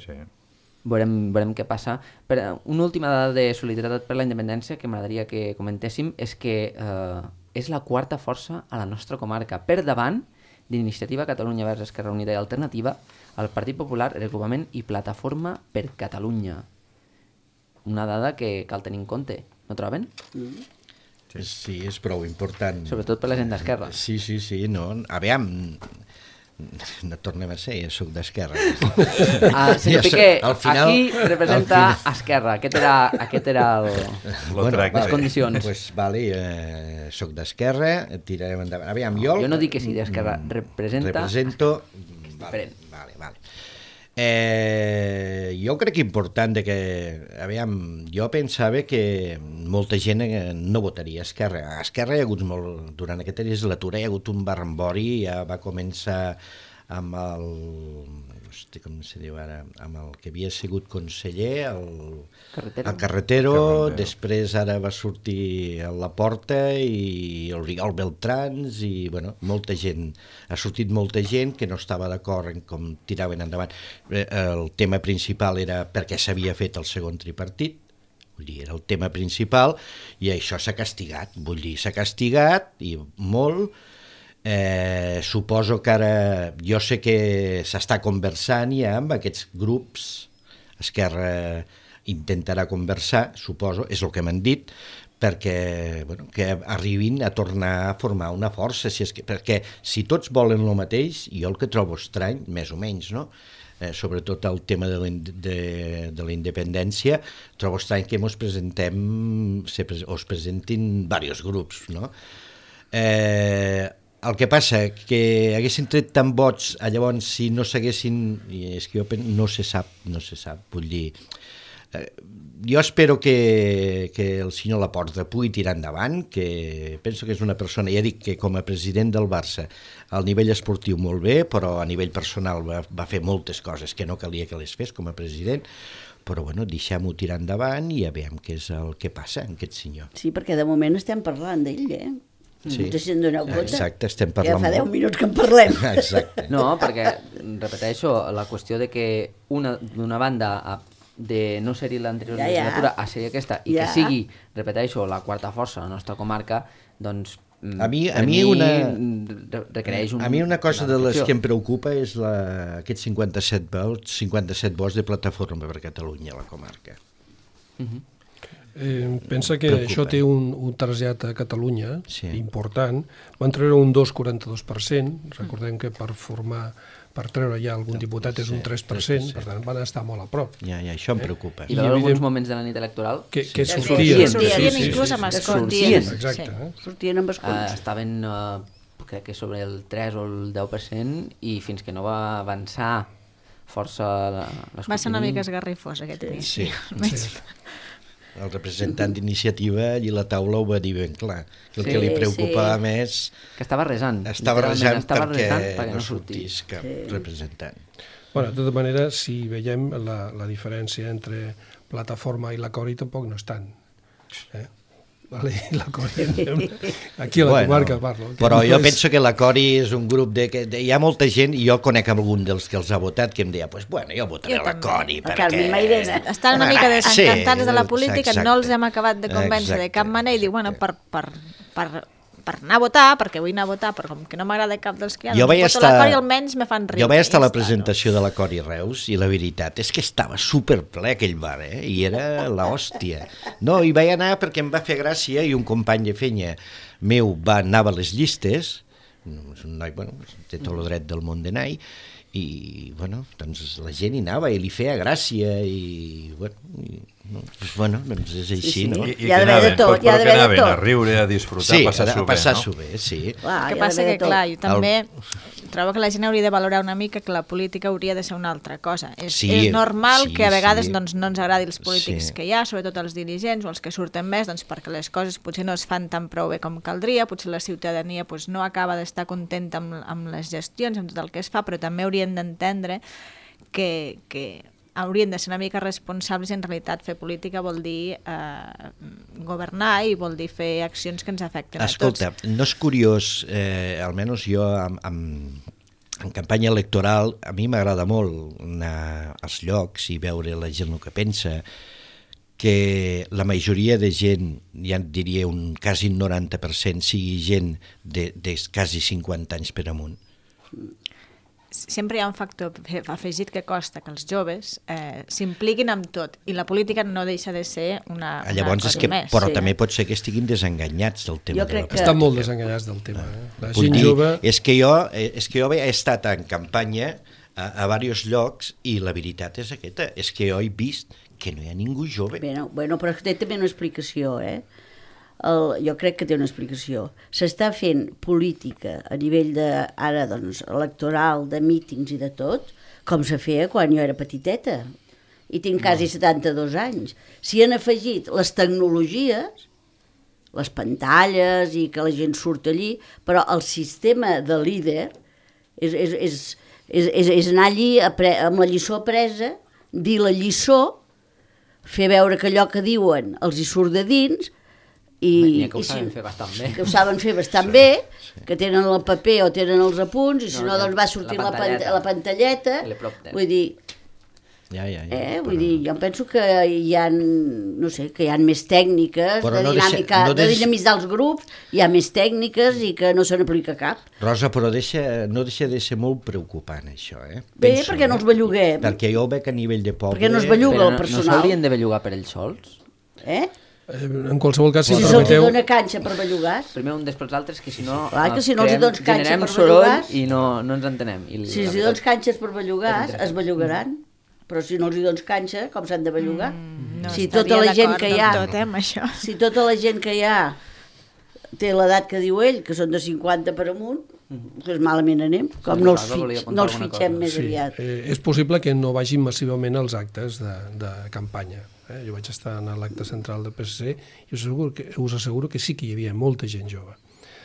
Veurem què passa. Una última dada de Solidaritat per la Independència que m'agradaria que comentéssim és que és la 4ª força a la nostra comarca, per davant d'Iniciativa Catalunya Verds Esquerra Unida i Alternativa, el Partit Popular, Regrupament i Plataforma per Catalunya. Una dada que cal tenir en compte, no troben? Sí, és prou important. Sobretot per la gent d'esquerra. Sí, no. Aviam, no tornem a ser, soc d'esquerra. Senyor Piqué, aquí representa Esquerra. Aquest era les condicions. Doncs vale, soc d'esquerra, tirarem endavant. Aviam, jo no dic que sigui d'esquerra, represento... Vale. Jo crec important que, aviam, jo pensava que molta gent no votaria a Esquerra. A Esquerra hi ha hagut molt, durant aquesta legislatura hi ha hagut un barrambori, ja va començar amb el, com se diu ara, amb el que havia sigut conseller, el Carretero, després ara va sortir a Laporta i el Rigol Beltrans i, bueno, molta gent, ha sortit molta gent que no estava d'acord en com tiraven endavant. El tema principal era per què s'havia fet el segon tripartit, vull dir, era el tema principal i això s'ha castigat, vull dir, s'ha castigat i molt. Suposo que ara, jo sé que s'està conversant ja amb aquests grups, Esquerra intentarà conversar, suposo, és el que m'han dit, perquè bueno, que arribin a tornar a formar una força, perquè si tots volen el mateix, jo el que trobo estrany, més o menys, no? Sobretot el tema de la independència, trobo estrany que us presentin diversos grups, no? El que passa que haguessin tret tant vots, llavors si no s'haguessin, és que jo no se sap, vull dir, jo espero que el senyor Laporta pugui tirar endavant, que penso que és una persona, ja dic que com a president del Barça al nivell esportiu molt bé, però a nivell personal va fer moltes coses que no calia que les fes com a president, però bueno, deixem-ho tirar endavant i ja veiem què és el que passa amb aquest senyor. Sí, perquè de moment estem parlant d'ell, Sí. No sé si en doneu compte. Exacte, estem parlant ja fa 10 molt. minuts que en parlem. Exacte. No, perquè, repeteixo, la qüestió de que d'una banda de no ser-hi l'anterior legislatura a ser aquesta, i que sigui, repeteixo, la quarta força de la nostra comarca, doncs a mi requereix a mi una cosa de les que em preocupa és aquests 57 vots de Plataforma per Catalunya a la comarca. Pensa que això té un trasllat a Catalunya important. Van treure un 2,42%, recordem que per treure ja algun diputat és un 3%, per tant van estar molt a prop. Ja, això em preocupa. I en alguns moments de la nit electoral que sortien. Sortien inclús amb escons. Sortien amb escons. Estaven, crec que sobre el 3 o el 10%, i fins que no va avançar força l'escrutini. Va ser una mica esgarrifós aquest inici. Sí. El representant d'Iniciativa allí a la taula ho va dir ben clar, que el que li preocupava més... Que estava resant. Estava resant perquè no sortís cap representant. Bueno, de tota manera, si veiem la diferència entre Plataforma i la Cori, tampoc no és tant. Vale, la Cori, aquí a la comarca parlo. Però jo penso que la Cori és un grup hi ha molta gent, i jo conec algun dels que els ha votat, que em deia, pues bueno, jo votaré la Cori, perquè... Estan una mica desencantats de la política, no els hem acabat de convèncer de cap manera, i diu, bueno, per anar a votar, perquè vull anar a votar, però com que no m'agrada cap dels que hi ha, doncs la Cori almenys me fan riure. Jo vaig estar a la presentació de la Cori Reus, i la veritat és que estava superple aquell bar, i era l'hòstia. No, hi vaig anar perquè em va fer gràcia, i un company de feina meu anava a les llistes, és un noi, bueno, té tot el dret del món d'anar, i bueno, doncs la gent hi anava i li feia gràcia, i bueno, doncs és així, no? I que anaven a riure, a disfrutar, a passar-s'ho bé, sí. El que passa que, clar, jo també trobo que la gent hauria de valorar una mica que la política hauria de ser una altra cosa. És normal que a vegades no ens agradi els polítics que hi ha, sobretot els dirigents o els que surten més, perquè les coses potser no es fan tan prou bé com caldria, potser la ciutadania no acaba d'estar contenta amb les gestions, amb tot el que es fa, però també haurien d'entendre que haurien de ser una mica responsables, i en realitat fer política vol dir governar i vol dir fer accions que ens afecten a tots. Escolta, no és curiós, almenys jo en campanya electoral, a mi m'agrada molt anar als llocs i veure la gent el que pensa, que la majoria de gent, ja et diria un quasi 90%, sigui gent de quasi 50 anys per amunt. Sempre hi ha un factor afegit que costa que els joves s'impliquin amb tot, i la política no deixa de ser una cosa més. Però també pot ser que estiguin desenganyats del tema. Estan molt desenganyats del tema. La gent jove... És que jo he estat en campanya a diversos llocs, i la veritat és aquesta, és que jo he vist que no hi ha ningú jove. Bueno, però té també una explicació, jo crec que té una explicació. S'està fent política a nivell ara, doncs, electoral, de mítings i de tot, com se feia quan jo era petiteta, i tinc quasi 72 anys. S'hi han afegit les tecnologies, les pantalles, i que la gent surt allí, però el sistema de líder és anar allí amb la lliçó apresa, dir la lliçó, fer veure que allò que diuen els hi surt de dins, i que ho saben fer bastant bé. Que ho saben fer bastant bé, que tenen el paper o tenen els apunts, i si no, doncs va sortir la pantalleta. Vull dir, vull dir, jo penso que hi ha, no sé, que hi ha més tècniques de dinàmica, de dinamitzar els grups, hi ha més tècniques i que no se n'aplica cap. Rosa, però no deixa de ser molt preocupant, això, Bé, perquè no els belluguem. Perquè jo ho veig a nivell de poble... Perquè no es belluga el personal. No s'haurien de bellugar per ells sols? En qualsevol cas, si se'ls dona canxa per bellugar. Primer un després l'altre, que si no generem soroll i no ens entenem. Si els dones canxes per bellugar, es bellugaran. Però si no els dones canxa, com s'han de bellugar? No si tota la gent que hi ha, si tota la gent que hi ha té l'edat que diu ell, que són de 50 per amunt, doncs malament anem, com no els fitxem més aviat. És possible que no vagin massivament als actes de campanya. Jo vaig estar en l'acte central del PSC i us asseguro que sí que hi havia molta gent jove.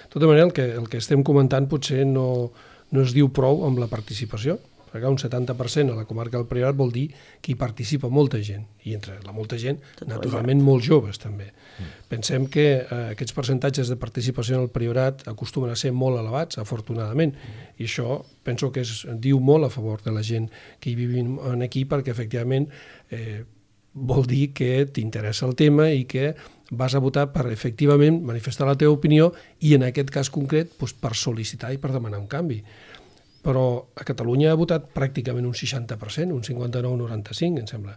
De tota manera, el que estem comentant potser no es diu prou amb la participació, perquè un 70% a la comarca del Priorat vol dir que hi participa molta gent, i entre la molta gent, naturalment, molts joves també. Pensem que aquests percentatges de participació en el Priorat acostumen a ser molt elevats, afortunadament, i això penso que diu molt a favor de la gent que hi vivim aquí, perquè efectivament vol dir que t'interessa el tema i que vas a votar per efectivament manifestar la teva opinió i en aquest cas concret per sol·licitar i per demanar un canvi. Però a Catalunya ha votat pràcticament un 60%, un 59-95, em sembla.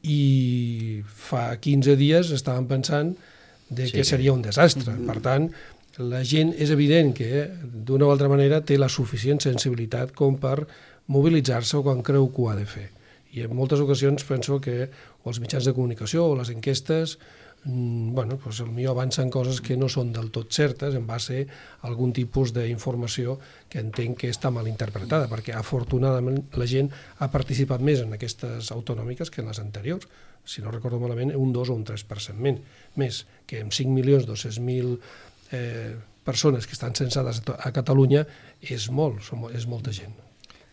I fa 15 dies estàvem pensant que seria un desastre. Per tant, la gent és evident que d'una o altra manera té la suficient sensibilitat com per mobilitzar-se quan creu que ho ha de fer. I en moltes ocasions penso que els mitjans de comunicació o les enquestes potser avancen coses que no són del tot certes en base a algun tipus d'informació que entenc que està mal interpretada, perquè afortunadament la gent ha participat més en aquestes autonòmiques que en les anteriors. Si no recordo malament, un 2 o un 3% més, que amb 5.200.000 persones que estan censades a Catalunya és molta gent.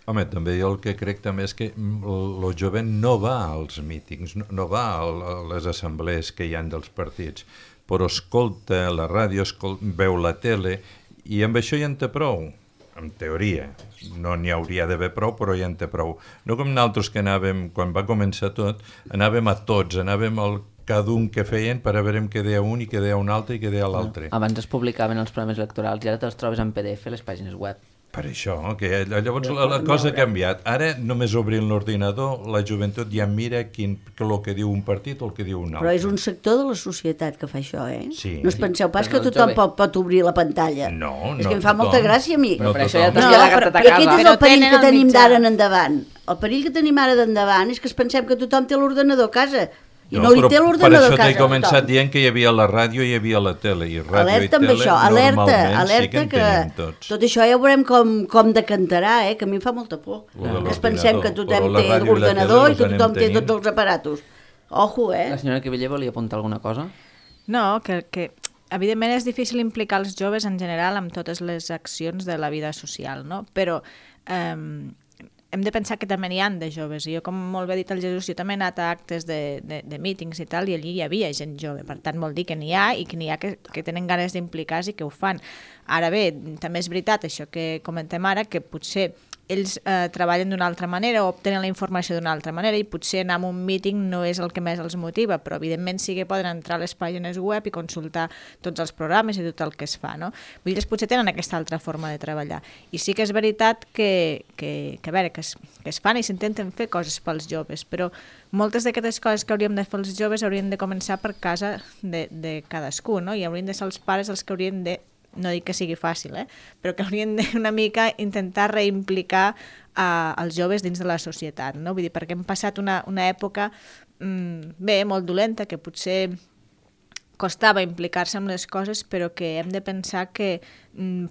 Home, també jo el que crec també és que el jovent no va als mítings, no va a les assemblees que hi ha dels partits, però escolta la ràdio, veu la tele, i amb això ja en té prou, en teoria. No n'hi hauria d'haver prou, però ja en té prou. No com nosaltres que anàvem, quan va començar tot, anàvem a tots, anàvem al cada un que feien per a veure què deia un i què deia un altre i què deia l'altre. Abans es publicaven els programes electorals i ara te'ls trobes en PDF a les pàgines web. Per això, que llavors la cosa ha canviat. Ara, només obrint l'ordinador, la joventut ja mira el que diu un partit o el que diu un altre. Però és un sector de la societat que fa això, Sí. No us penseu pas que tothom pot obrir la pantalla. No, és que em fa molta gràcia a mi. Però per això ja t'has No, la carta a casa. Aquest és el perill que tenim d'ara en endavant. El perill que tenim ara d'endavant és que es pensem que tothom té l'ordenador a casa. I no li té l'ordenador a casa. Per això t'he començat dient que hi havia la ràdio i hi havia la tele. I ràdio alerta i tele això, normalment sí que en tenim tots. Tot això ja veurem com decantarà, que a mi em fa molta por. Que es pensem que tothom té l'ordenador i que tothom té tots els aparatos. Ojo, La senyora Quiviller volia apuntar alguna cosa? No, que evidentment és difícil implicar els joves en general amb totes les accions de la vida social, no? Però hem de pensar que també n'hi ha de joves. Jo, com molt bé ha dit el Jesús, jo també he anat a actes de mítings i tal, i allí hi havia gent jove. Per tant, vol dir que n'hi ha i que n'hi ha que tenen ganes d'implicar-se i que ho fan. Ara bé, també és veritat això que comentem ara, que potser ells treballen d'una altra manera o obtenen la informació d'una altra manera i potser anar a un míting no és el que més els motiva, però evidentment sí que poden entrar a les pàgines web i consultar tots els programes i tot el que es fa, no? Vull dir, ells potser tenen aquesta altra forma de treballar. I sí que és veritat que es fan i s'intenten fer coses pels joves, però moltes d'aquestes coses que hauríem de fer els joves haurien de començar per casa de cadascú, no? I haurien de ser els pares els que haurien de, no dic que sigui fàcil, però que haurien de una mica intentar reimplicar els joves dins de la societat, no? Vull dir, perquè hem passat una època molt dolenta, que potser costava implicar-se en les coses, però que hem de pensar que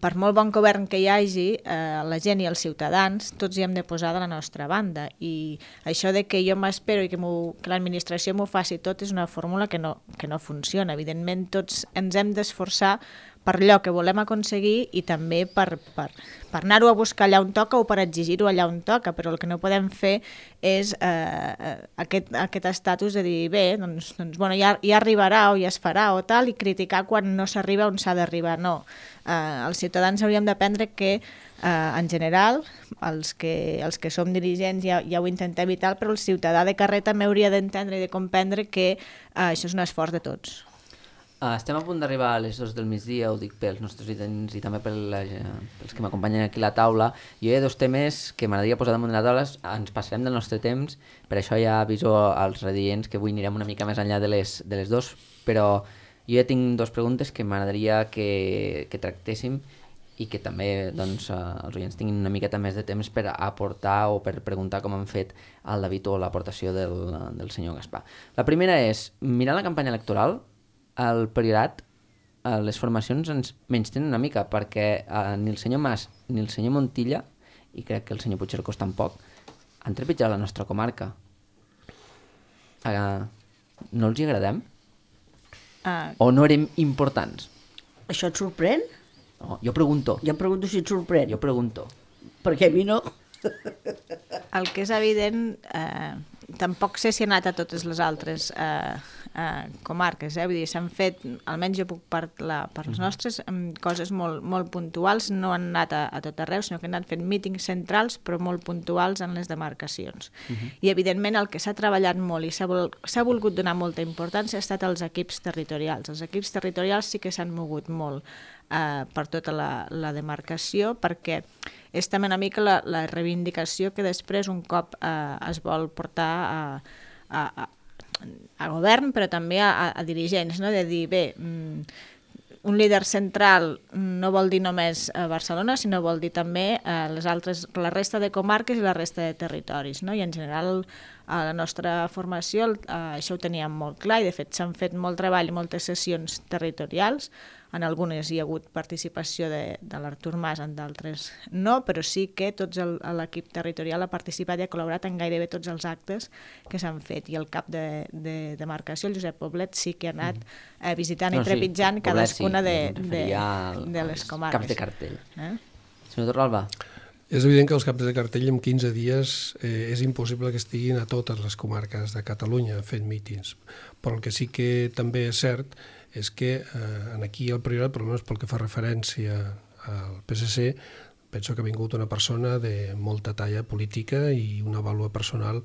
per molt bon govern que hi hagi, la gent i els ciutadans, tots hi hem de posar de la nostra banda. I això de que jo m'espero i que l'administració m'ho faci tot és una fórmula que no funciona. Evidentment, tots ens hem d'esforçar per allò que volem aconseguir i també per anar-ho a buscar allà on toca o per exigir-ho allà on toca, però el que no podem fer és aquest estatus de dir, bé, doncs bueno, ja arribarà o ja es farà o tal, i criticar quan no s'arriba on s'ha d'arribar. No, els ciutadans hauríem d'aprendre que en general, els que som dirigents ja ho intentem i tal, però el ciutadà de carrer també hauria d'entendre i de comprendre que això és un esforç de tots. Estem a punt d'arribar a les 2 del migdia, ho dic pels nostres oients i també pels que m'acompanyen aquí a la taula. Jo hi ha 2 temes que m'agradaria posar damunt de la taula, ens passarem del nostre temps, per això ja aviso als radiants que avui anirem una mica més enllà de les 2, però jo ja tinc 2 preguntes que m'agradaria que tractéssim i que també els oients tinguin una miqueta més de temps per aportar o per preguntar com han fet el David o l'aportació del senyor Gaspar. La primera és, mirant la campanya electoral, el Priorat les formacions ens menystenen una mica, perquè ni el senyor Mas ni el senyor Montilla, i crec que el senyor Puigcercós tampoc, han trepitjat la nostra comarca. No els hi agradem? O no érem importants? Això et sorprèn? No, jo pregunto. Jo pregunto si et sorprèn. Jo pregunto. Perquè a mi no. El que és evident, tampoc sé si ha anat a totes les altres comarques, vull dir, s'han fet, almenys jo puc parlar per les nostres, coses molt puntuals, no han anat a tot arreu, sinó que han anat fent mítings centrals, però molt puntuals en les demarcacions. I evidentment el que s'ha treballat molt i s'ha volgut donar molta importància ha estat als equips territorials. Els equips territorials sí que s'han mogut molt per tota la demarcació, perquè és també una mica la reivindicació que després un cop es vol portar a govern, però també a dirigents, no? De dir, bé, un líder central no vol dir només Barcelona, sinó vol dir també la resta de comarques i la resta de territoris, no? I en general a la nostra formació això ho teníem molt clar i de fet s'han fet molt treball i moltes sessions territorials. En algunes hi ha hagut participació de l'Artur Mas, en d'altres no, però sí que tot l'equip territorial ha participat i ha col·laborat en gairebé tots els actes que s'han fet. I el cap de demarcació, el Josep Poblet, sí que ha anat visitant i trepitjant cadascuna de les comarques. Caps de cartell. Senyor Torralba. És evident que els caps de cartell en 15 dies és impossible que estiguin a totes les comarques de Catalunya fent mítings. Però el que sí que també és cert és que aquí el Priorat, per almenys pel que fa referència al PSC, penso que ha vingut una persona de molta talla política i una vàlua personal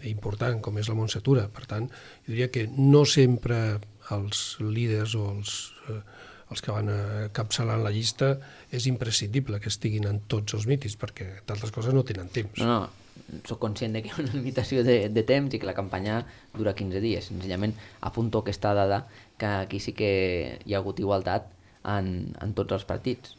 important, com és la Montse Tura. Per tant, jo diria que no sempre els líders o els que van encapçalant la llista és imprescindible que estiguin en tots els mítings, perquè d'altres coses no tenen temps. No, soc conscient que hi ha una limitació de temps i que la campanya dura 15 dies. Senzillament apunto aquesta dada que aquí sí que hi ha hagut igualtat en tots els partits.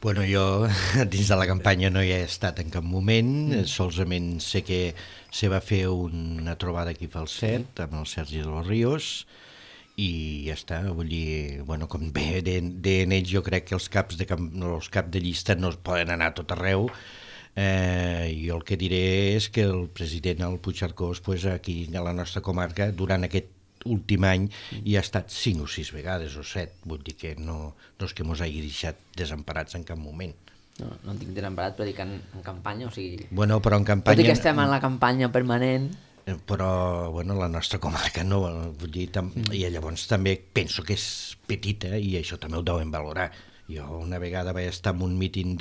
Bueno, jo dins de la campanya no hi he estat en cap moment, solament sé que se va fer una trobada aquí al CERT amb el Sergi de los Ríos i ja està, vull dir, bueno, com bé en ells jo crec que els caps de llista no es poden anar a tot arreu. Jo el que diré és que el president, el Puigcercós, aquí a la nostra comarca, durant aquest últim any hi ha estat 5 o 6 vegades o 7, vull dir que no és que mos hagi deixat desemparats en cap moment. No en tinc desemparat, però dic en campanya, o sigui... Bueno, però en campanya... Tot i que estem en la campanya permanent... Però, bueno, la nostra comarca no, vull dir, i llavors també penso que és petita i això també ho deuen valorar. Jo una vegada vaig estar en un míting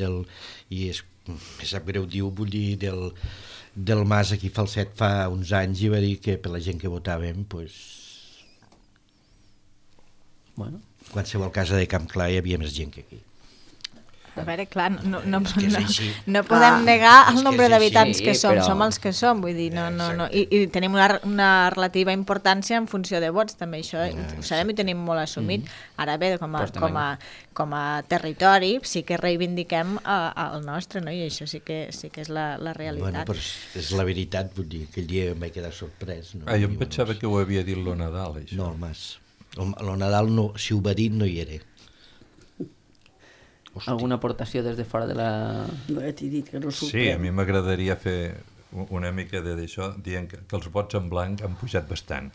i me sap greu dir, vull dir, del Mas aquí Falset fa uns anys i va dir que per la gent que votàvem, doncs... Bueno. Qualsevol casa de Camp Clar hi havia més gent que aquí. A veure, clar, no podem negar el nombre d'habitants que som, som els que som, vull dir, i tenim una relativa importància en funció de vots, també això ho sabem i tenim molt assumit. Ara bé, com a territori sí que reivindiquem el nostre, no? I això sí que és la realitat. Bueno, però és la veritat, vull dir, aquell dia em vaig quedar sorprès. Jo em pensava que ho havia dit lo Nadal, això. No, el Mas. Lo Nadal, si ho va dir, no hi era. Hosti. Alguna aportació des de fora de la... No, t'he dit que no sorprèn. Sí, a mi m'agradaria fer una mica d'això, dient que els vots en blanc han pujat bastant.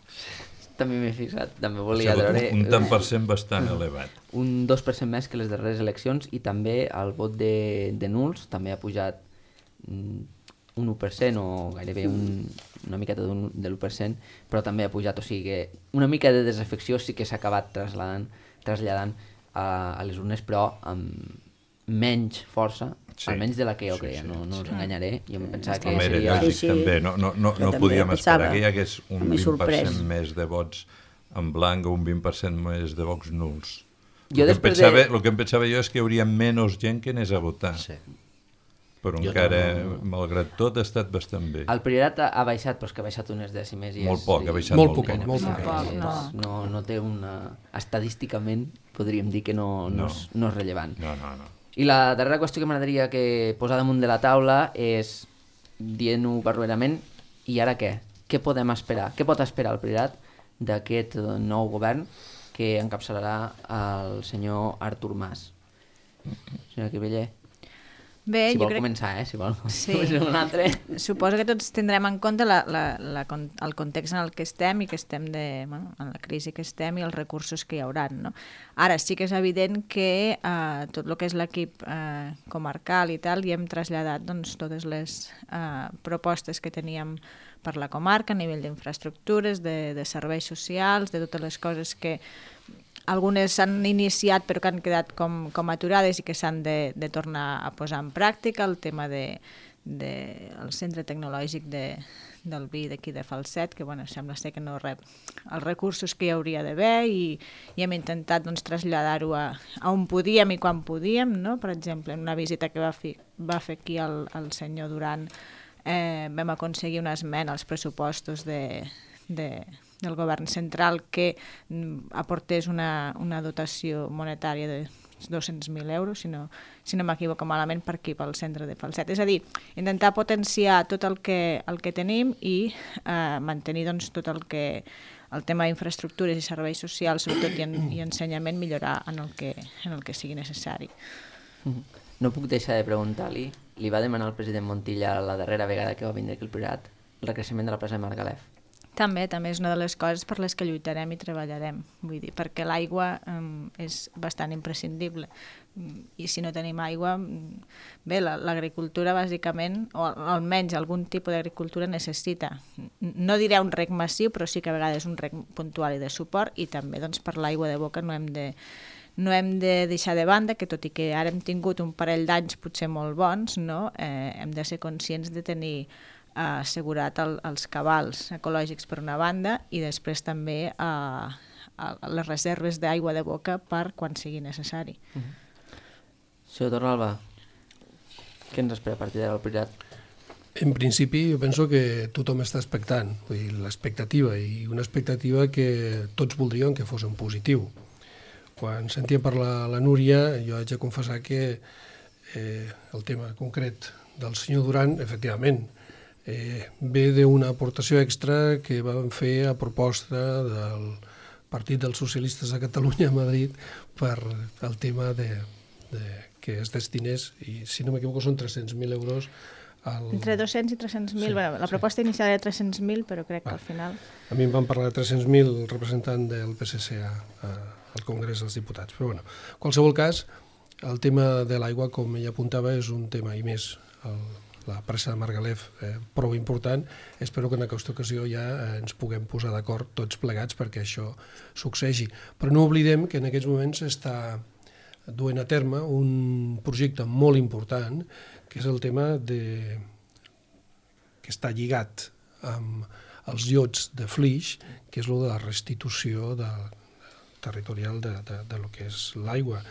També m'he fixat, també volia veure... Un tant per cent bastant elevat. Un 2% més que les darreres eleccions i també el vot de nuls també ha pujat un 1% o gairebé una miqueta de l'1%, però també ha pujat, o sigui que una mica de desafecció sí que s'ha acabat traslladant a les urnes, però amb menys força, almenys de la que jo creia, no us enganyaré. Jo em pensava que seria... També, no podíem esperar que hi hagués un 20% més de vots en blanc o un 20% més de vots nuls. El que em pensava jo és que hi hauria menys gent que anés a votar. Però encara, malgrat tot, ha estat bastant bé. El Priorat ha baixat, però és que ha baixat unes dècimes. Molt poc, ha baixat molt poquet. No té una... Estadísticament podríem dir que no és rellevant. No. I la darrera qüestió que m'agradaria posar damunt de la taula és, dient-ho barroerament, i ara què? Què podem esperar? Què pot esperar el Priorat d'aquest nou govern que encapçalarà el senyor Artur Mas. Senyor Cribiller. Bé, si jo vol crec... començar, si vol. Sí. Un altre. Suposo que tots tindrem en compte el context en el que estem i que estem en la crisi que estem i els recursos que hi haurà. No? Ara sí que és evident que tot el que és l'equip comarcal i tal, hi hem traslladat doncs, totes les propostes que teníem per la comarca a nivell d'infraestructures, de serveis socials, de totes les coses que algunes s'han iniciat però que han quedat com aturades i que s'han de tornar a posar en pràctica, el tema del centre tecnològic del vi d'aquí de Falset, que sembla ser que no rep els recursos que hi hauria d'haver i hem intentat traslladar-ho a on podíem i quan podíem, no? Per exemple, en una visita que va fer aquí el senyor Duran vam aconseguir una esmena als pressupostos del govern central que aportés una dotació monetària de 200.000 euros, si no m'equivoco malament, per aquí, pel centre de Falset. És a dir, intentar potenciar tot el que tenim i mantenir tot el tema d'infraestructures i serveis socials, sobretot i ensenyament, millorar en el que sigui necessari. No puc deixar de preguntar-li, li va demanar el president Montilla la darrera vegada que va vindre aquí al Priorat el recreixement de la plaça de Margalef? També és una de les coses per les que lluitarem i treballarem, vull dir, perquè l'aigua és bastant imprescindible i si no tenim aigua, bé, l'agricultura bàsicament, o almenys algun tipus d'agricultura necessita, no diré un reg massiu, però sí que a vegades un reg puntual i de suport, i també per l'aigua de boca no hem de deixar de banda que tot i que ara hem tingut un parell d'anys potser molt bons, no? Hem de ser conscients de tenir assegurat els cabals ecològics per una banda i després també les reserves d'aigua de boca per quan sigui necessari. Senyor Torralba, què ens espera a partir d'ara al Priorat? En principi jo penso que tothom està expectant, l'expectativa, i una expectativa que tots voldríem que fos en positiu. Quan sentia parlar la Núria, jo haig de confessar que el tema concret del senyor Duran, efectivament, ve d'una aportació extra que vam fer a proposta del Partit dels Socialistes de Catalunya a Madrid per el tema que es destinés, i si no m'equivoco són 300.000 euros entre 200 i 300.000, la proposta inicial era 300.000, però crec que al final... A mi em van parlar de 300.000 el representant del PSC al Congrés dels Diputats, però bueno, en qualsevol cas, el tema de l'aigua, com ella apuntava, és un tema, i més la pressa de Margalef, prou important. Espero que en aquesta ocasió ja ens puguem posar d'acord tots plegats perquè això succeeixi. Però no oblidem que en aquests moments s'està duent a terme un projecte molt important, que és el tema que està lligat amb els llots de flix, que és el de la restitució territorial de lo que és l'aigua.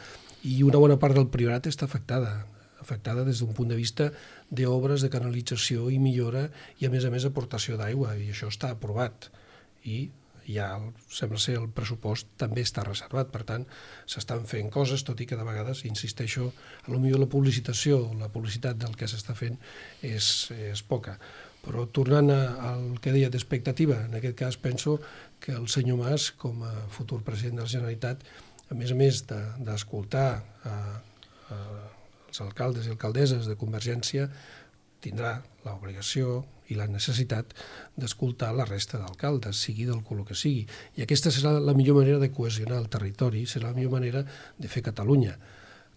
I una bona part del Priorat està afectada des d'un punt de vista d'obres de canalització i millora i, a més, aportació d'aigua, i això està aprovat. I ja sembla ser el pressupost també està reservat, per tant, s'estan fent coses, tot i que de vegades, insisteixo, potser la publicitat del que s'està fent és poca. Però tornant al que deia d'expectativa, en aquest cas penso que el senyor Mas, com a futur president de la Generalitat, a més d'escoltar els alcaldes i alcaldesses de Convergència, tindrà l'obligació i la necessitat d'escoltar la resta d'alcaldes, sigui del color que sigui. I aquesta serà la millor manera de cohesionar el territori, serà la millor manera de fer Catalunya,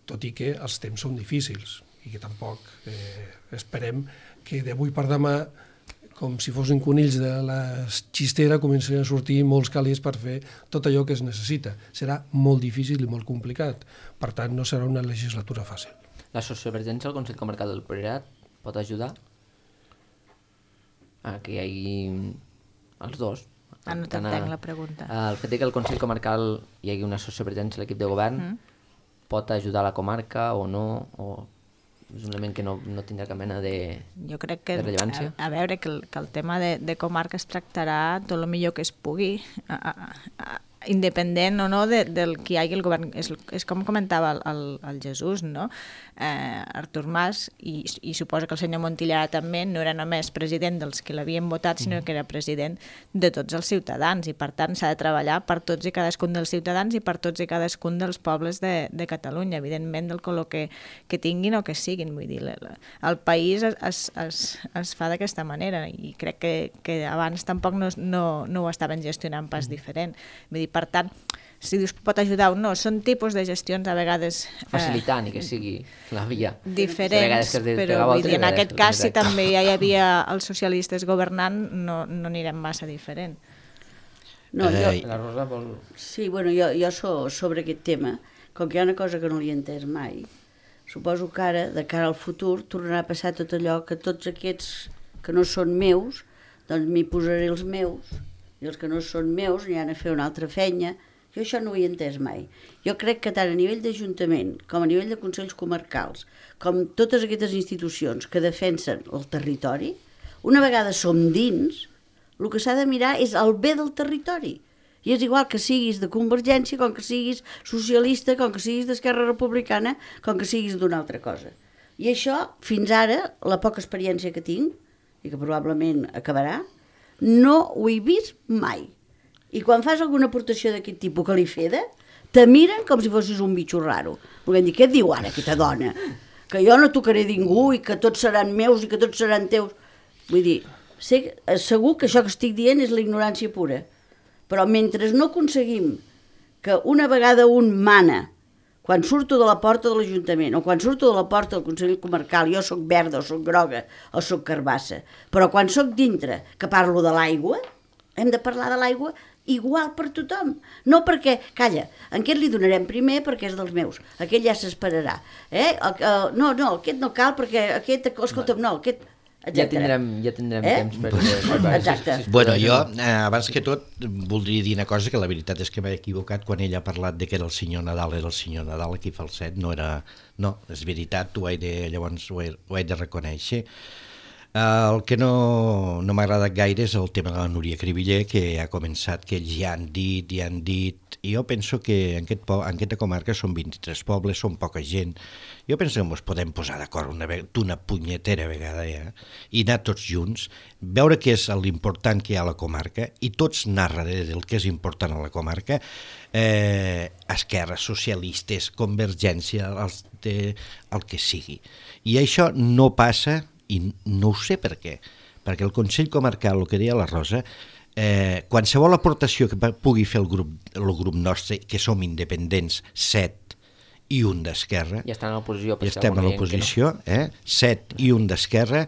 tot i que els temps són difícils i que tampoc esperem que d'avui per demà, com si fossin conills de la xistera, comencin a sortir molts calés per fer tot allò que es necessita. Serà molt difícil i molt complicat, per tant no serà una legislatura fàcil. La sociovergència al Consell Comarcal del Priorat pot ajudar a que hi hagi els dos? No t'entenc la pregunta. El fet que al Consell Comarcal hi hagi una sociovergència a l'equip de govern pot ajudar la comarca o no? O és un element que no tindrà cap mena de rellevància? Jo crec que, a veure, que el tema de comarca es tractarà tot el millor que es pugui independent o no del que hi hagi el govern. És com comentava el Jesús, no? Artur Mas, i suposo que el senyor Montilla també no era només president dels que l'havien votat, sinó que era president de tots els ciutadans, i per tant s'ha de treballar per tots i cadascun dels ciutadans i per tots i cadascun dels pobles de Catalunya, evidentment del color que tinguin o que siguin. Vull dir, el país es fa d'aquesta manera, i crec que abans tampoc no ho estaven gestionant pas diferent. Vull dir, per tant, si dius que pot ajudar o no, són tipus de gestions a vegades... Facilitant, i que sigui la via. Diferents, però vull dir, en aquest cas, si també ja hi havia els socialistes governant, no anirem massa diferent. No, La Rosa vol... Sí, bueno, jo sobre aquest tema, com que hi ha una cosa que no li he entès mai, suposo que ara, de cara al futur, tornarà a passar tot allò que tots aquests que no són meus, doncs m'hi posaré els meus, i els que no són meus n'hi han a fer una altra feina. Jo això no ho he entès mai. Jo crec que tant a nivell d'Ajuntament com a nivell de Consells Comarcals, com totes aquestes institucions que defensen el territori, una vegada som dins, el que s'ha de mirar és el bé del territori. I és igual que siguis de Convergència, com que siguis socialista, com que siguis d'Esquerra Republicana, com que siguis d'una altra cosa. I això, fins ara, la poca experiència que tinc, i que probablement acabarà, no ho he vist mai. I quan fas alguna aportació d'aquest tipus que li feda, te miren com si fossis un bitxo raro. Volem dir, què et diu ara aquesta dona? Que jo no tocaré ningú i que tots seran meus i que tots seran teus. Vull dir, segur que això que estic dient és la ignorància pura. Però mentre no aconseguim que una vegada un mana, quan surto de la porta de l'Ajuntament o quan surto de la porta del Consell Comarcal, jo sóc verda o sóc groga o sóc carbassa, però quan sóc dintre que parlo de l'aigua, hem de parlar de l'aigua igual per tothom. No perquè, calla, a aquest li donarem primer perquè és dels meus, aquell ja s'esperarà. No, aquest no cal perquè aquest, escolta'm, no, aquest... Ja tindrem temps per... Exacte. Bueno, jo, abans que tot, voldria dir una cosa, que la veritat és que m'he equivocat quan ella ha parlat de que era el senyor Nadal, aquí falset, no era... No, és veritat, llavors ho he de reconèixer. El que no m'ha agradat gaire és el tema de la Núria Cribiller, que ha començat, que ells ja han dit, i jo penso que en aquesta comarca són 23 pobles, són poca gent. Jo penso que ens podem posar d'acord una punyetera vegada ja, i anar tots junts, veure què és l'important que hi ha a la comarca, i tots anar darrere del que és important a la comarca, esquerres, socialistes, Convergència, el que sigui. I això no passa, i no ho sé per què, perquè el Consell Comarcal, el que deia la Rosa, qualsevol aportació que pugui fer el grup nostre, que som independents, 7 i un d'Esquerra, ja estem a l'oposició, 7 i un d'Esquerra,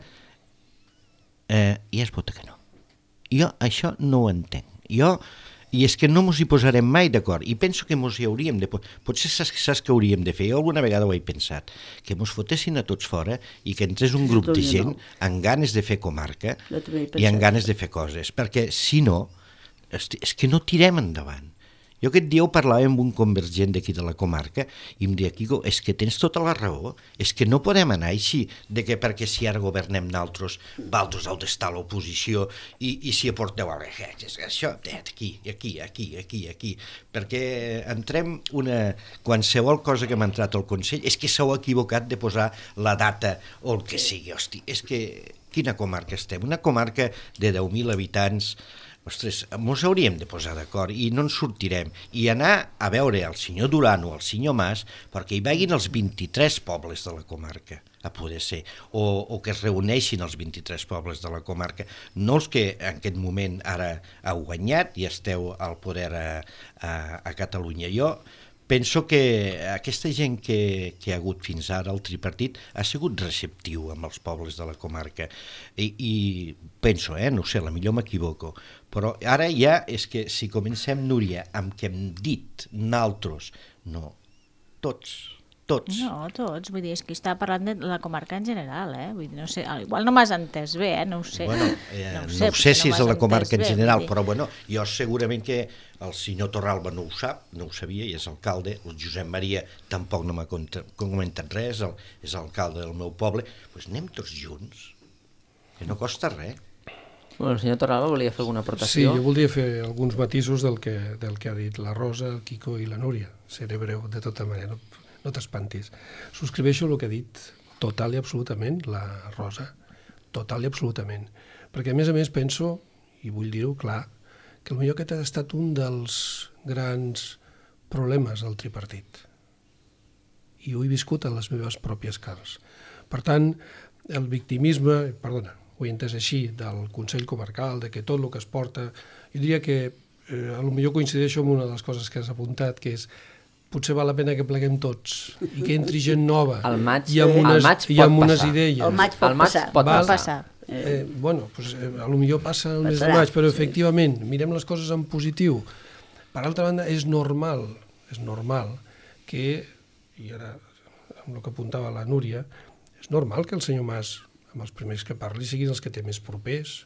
i es vota que no. Jo això no ho entenc. I és que no ens hi posarem mai d'acord, i penso que ens hi hauríem de... Potser saps què hauríem de fer? Jo alguna vegada ho he pensat, que ens fotessin a tots fora i que entrés un grup de gent amb ganes de fer comarca i amb ganes de fer coses, perquè si no, és que no tirem endavant. Jo aquest dia ho parlava amb un convergent d'aquí de la comarca i em deia, Quico, és que tens tota la raó, és que no podem anar així, perquè si ara governem nosaltres, vosaltres heu d'estar a l'oposició i si aporteu això, aquí, perquè entrem qualsevol cosa que m'ha entrat al Consell, és que s'heu equivocat de posar la data o el que sigui, hosti, és que quina comarca estem? Una comarca de 10.000 habitants. Ostres, ens hauríem de posar d'acord i no ens sortirem. I anar a veure el senyor Duran o el senyor Mas perquè hi vagin els 23 pobles de la comarca, a poder ser, o que es reuneixin els 23 pobles de la comarca, no els que en aquest moment ara heu guanyat i esteu al poder a Catalunya. Jo penso que aquesta gent que ha hagut fins ara, el tripartit, ha sigut receptiu amb els pobles de la comarca. I penso, no sé, potser m'equivoco, però ara ja és que si comencem, Núria, amb què hem dit nosaltres, no, tots. No, tots, vull dir, és que està parlant de la comarca en general, vull dir, no sé, igual no m'has entès bé, no ho sé. Bueno, no sé si és de la comarca en general, però bueno, jo segurament que el senyor Torralba no ho sap, no ho sabia, i és alcalde, el Josep Maria tampoc no m'ha comentat res, és alcalde del meu poble, doncs anem tots junts, que no costa res. El senyor Torralba volia fer alguna Sí, aportació? jo voldria fer alguns matisos del que ha dit la Rosa, el Quico i la Núria. Seré breu de tota manera, no t'espantis. Subscriveixo el que ha dit total i absolutament la Rosa, total i absolutament. Perquè a més penso, i vull dir-ho clar, que potser aquest ha estat un dels grans problemes del tripartit. I ho he viscut a les meves pròpies carns. Per tant, el victimisme, ho he entès així, del Consell Comarcal, de que tot el que es porta... Jo diria que potser coincideixo amb una de les coses que has apuntat, que és potser val la pena que pleguem tots i que entri gent nova al maig i amb unes idees. Al maig pot passar. Potser passa el mes de maig, però efectivament, mirem les coses en positiu. Per altra banda, és normal que, i ara amb el que apuntava la Núria, és normal que el senyor Mas, amb els primers que parli, siguin els que té més propers.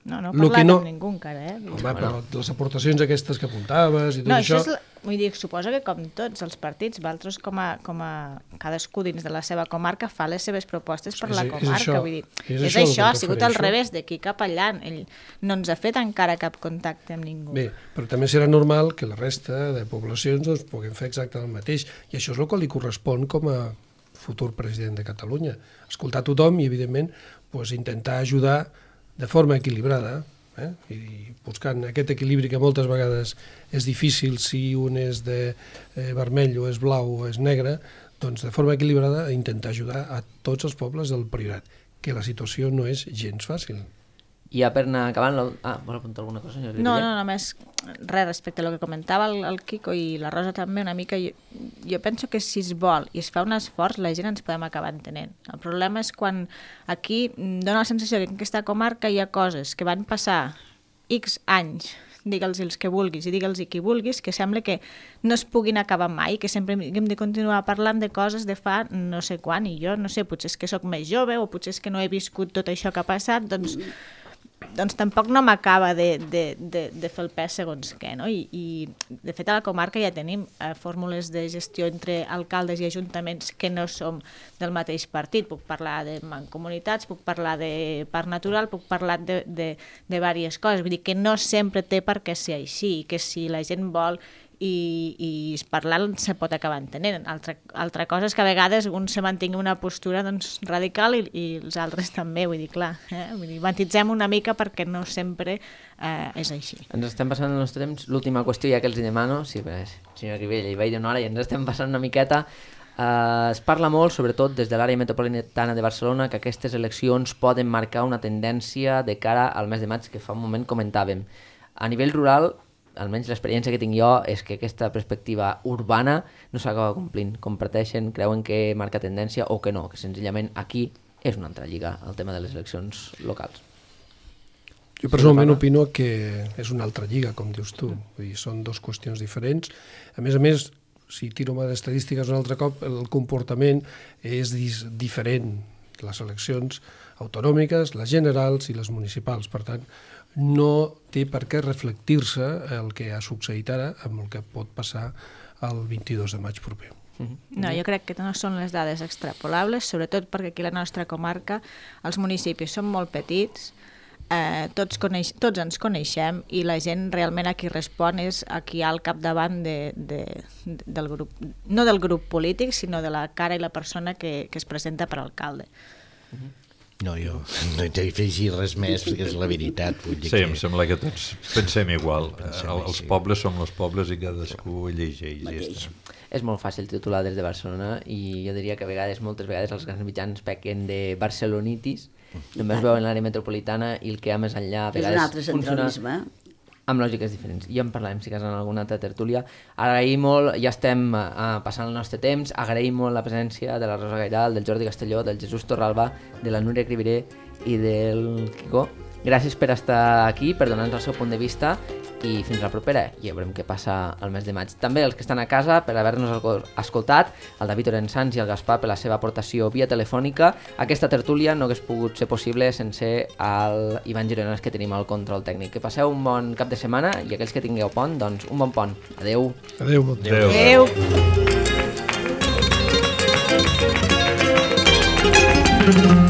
No he parlat amb ningú encara, Home, però les aportacions aquestes que apuntaves i tot això... Vull dir, suposo que com tots els partits, vosaltres com a cadascú dins de la seva comarca fa les seves propostes per la comarca. Vull dir, és això, ha sigut al revés, d'aquí cap allà. Ell no ens ha fet encara cap contacte amb ningú. Bé, però també serà normal que la resta de poblacions puguem fer exactament el mateix. I això és el que li correspon com a futur president de Catalunya. Escoltar tothom i, evidentment, intentar ajudar de forma equilibrada, i buscant aquest equilibri que moltes vegades és difícil si un és de vermell o és blau o és negre, doncs de forma equilibrada intentar ajudar a tots els pobles del Priorat, que la situació no és gens fàcil. I ja per anar acabant... Vol apuntar alguna cosa, senyor Rivera? No, només res respecte al que comentava el Quico i la Rosa també una mica. Jo penso que si es vol i es fa un esforç, la gent ens podem acabar entenent. El problema és quan aquí dona la sensació que en aquesta comarca hi ha coses que van passar X anys, digue'ls els que vulguis i digue'ls qui vulguis, que sembla que no es puguin acabar mai, que sempre hem de continuar parlant de coses de fa no sé quan, i jo no sé, potser és que sóc més jove o potser és que no he viscut tot això que ha passat, doncs tampoc no m'acaba de fer el pes segons què, no? I de fet a la comarca ja tenim fórmules de gestió entre alcaldes i ajuntaments que no som del mateix partit. Puc parlar de mancomunitats, puc parlar de parc natural, puc parlar de diverses coses. Vull dir que no sempre té per què ser així, que si la gent vol i parlant se pot acabar entenent. Altra cosa és que a vegades un se mantingui una postura radical i els altres també, vull dir, clar, vull dir, matitzem una mica perquè no sempre és així. Ens estem passant el nostre temps. L'última qüestió ja que els demano, sí, senyor Rivella, hi vaig d'una hora i ens estem passant una miqueta. Es parla molt, sobretot des de l'àrea metropolitana de Barcelona, que aquestes eleccions poden marcar una tendència de cara al mes de maig que fa un moment comentàvem. A nivell rural, almenys l'experiència que tinc jo és que aquesta perspectiva urbana no s'acaba complint. Comparteixen, creuen que marca tendència o que no, que senzillament aquí és una altra lliga, el tema de les eleccions locals. Jo personalment opino que és una altra lliga, com dius tu. Vull dir, són dues qüestions diferents. A més, si tiro mà d'estadístiques un altre cop, el comportament és diferent. Les eleccions autonòmiques, les generals i les municipals. Per tant, no té per què reflectir-se el que ha succeït ara amb el que pot passar el 22 de maig proper. No, jo crec que no són les dades extrapolables, sobretot perquè aquí a la nostra comarca els municipis són molt petits, tots ens coneixem i la gent realment a qui respon és a qui hi ha al capdavant del grup, no del grup polític, sinó de la cara i la persona que es presenta per alcalde. No, jo no he d'afegir res més perquè és la veritat. Sí, em sembla que tots pensem igual. Els pobles som els pobles i cadascú llegeix. És molt fàcil titular des de Barcelona i jo diria que moltes vegades els grans mitjans pequen de barcelonitis, només veuen l'àrea metropolitana i el que hi ha més enllà a vegades funciona amb lògiques diferents. Ja en parlarem si cas en alguna altra tertúlia. Agraïm molt, ja estem passant el nostre temps, agraïm molt la presència de la Rosa Gairal, del Jordi Castelló, del Jesús Torralba, de la Núria Criviré i del Quico. Gràcies per estar aquí, per donar-nos el seu punt de vista i fins la propera. Ja veurem què passa el mes de maig. També els que estan a casa per haver-nos escoltat, el David Orensans i el Gaspar per la seva aportació via telefònica. Aquesta tertúlia no hagués pogut ser possible sense el Ivan Girones que tenim al control tècnic. Que passeu un bon cap de setmana i aquells que tingueu pont, doncs un bon pont. Adeu. Adeu. Adeu. Adeu.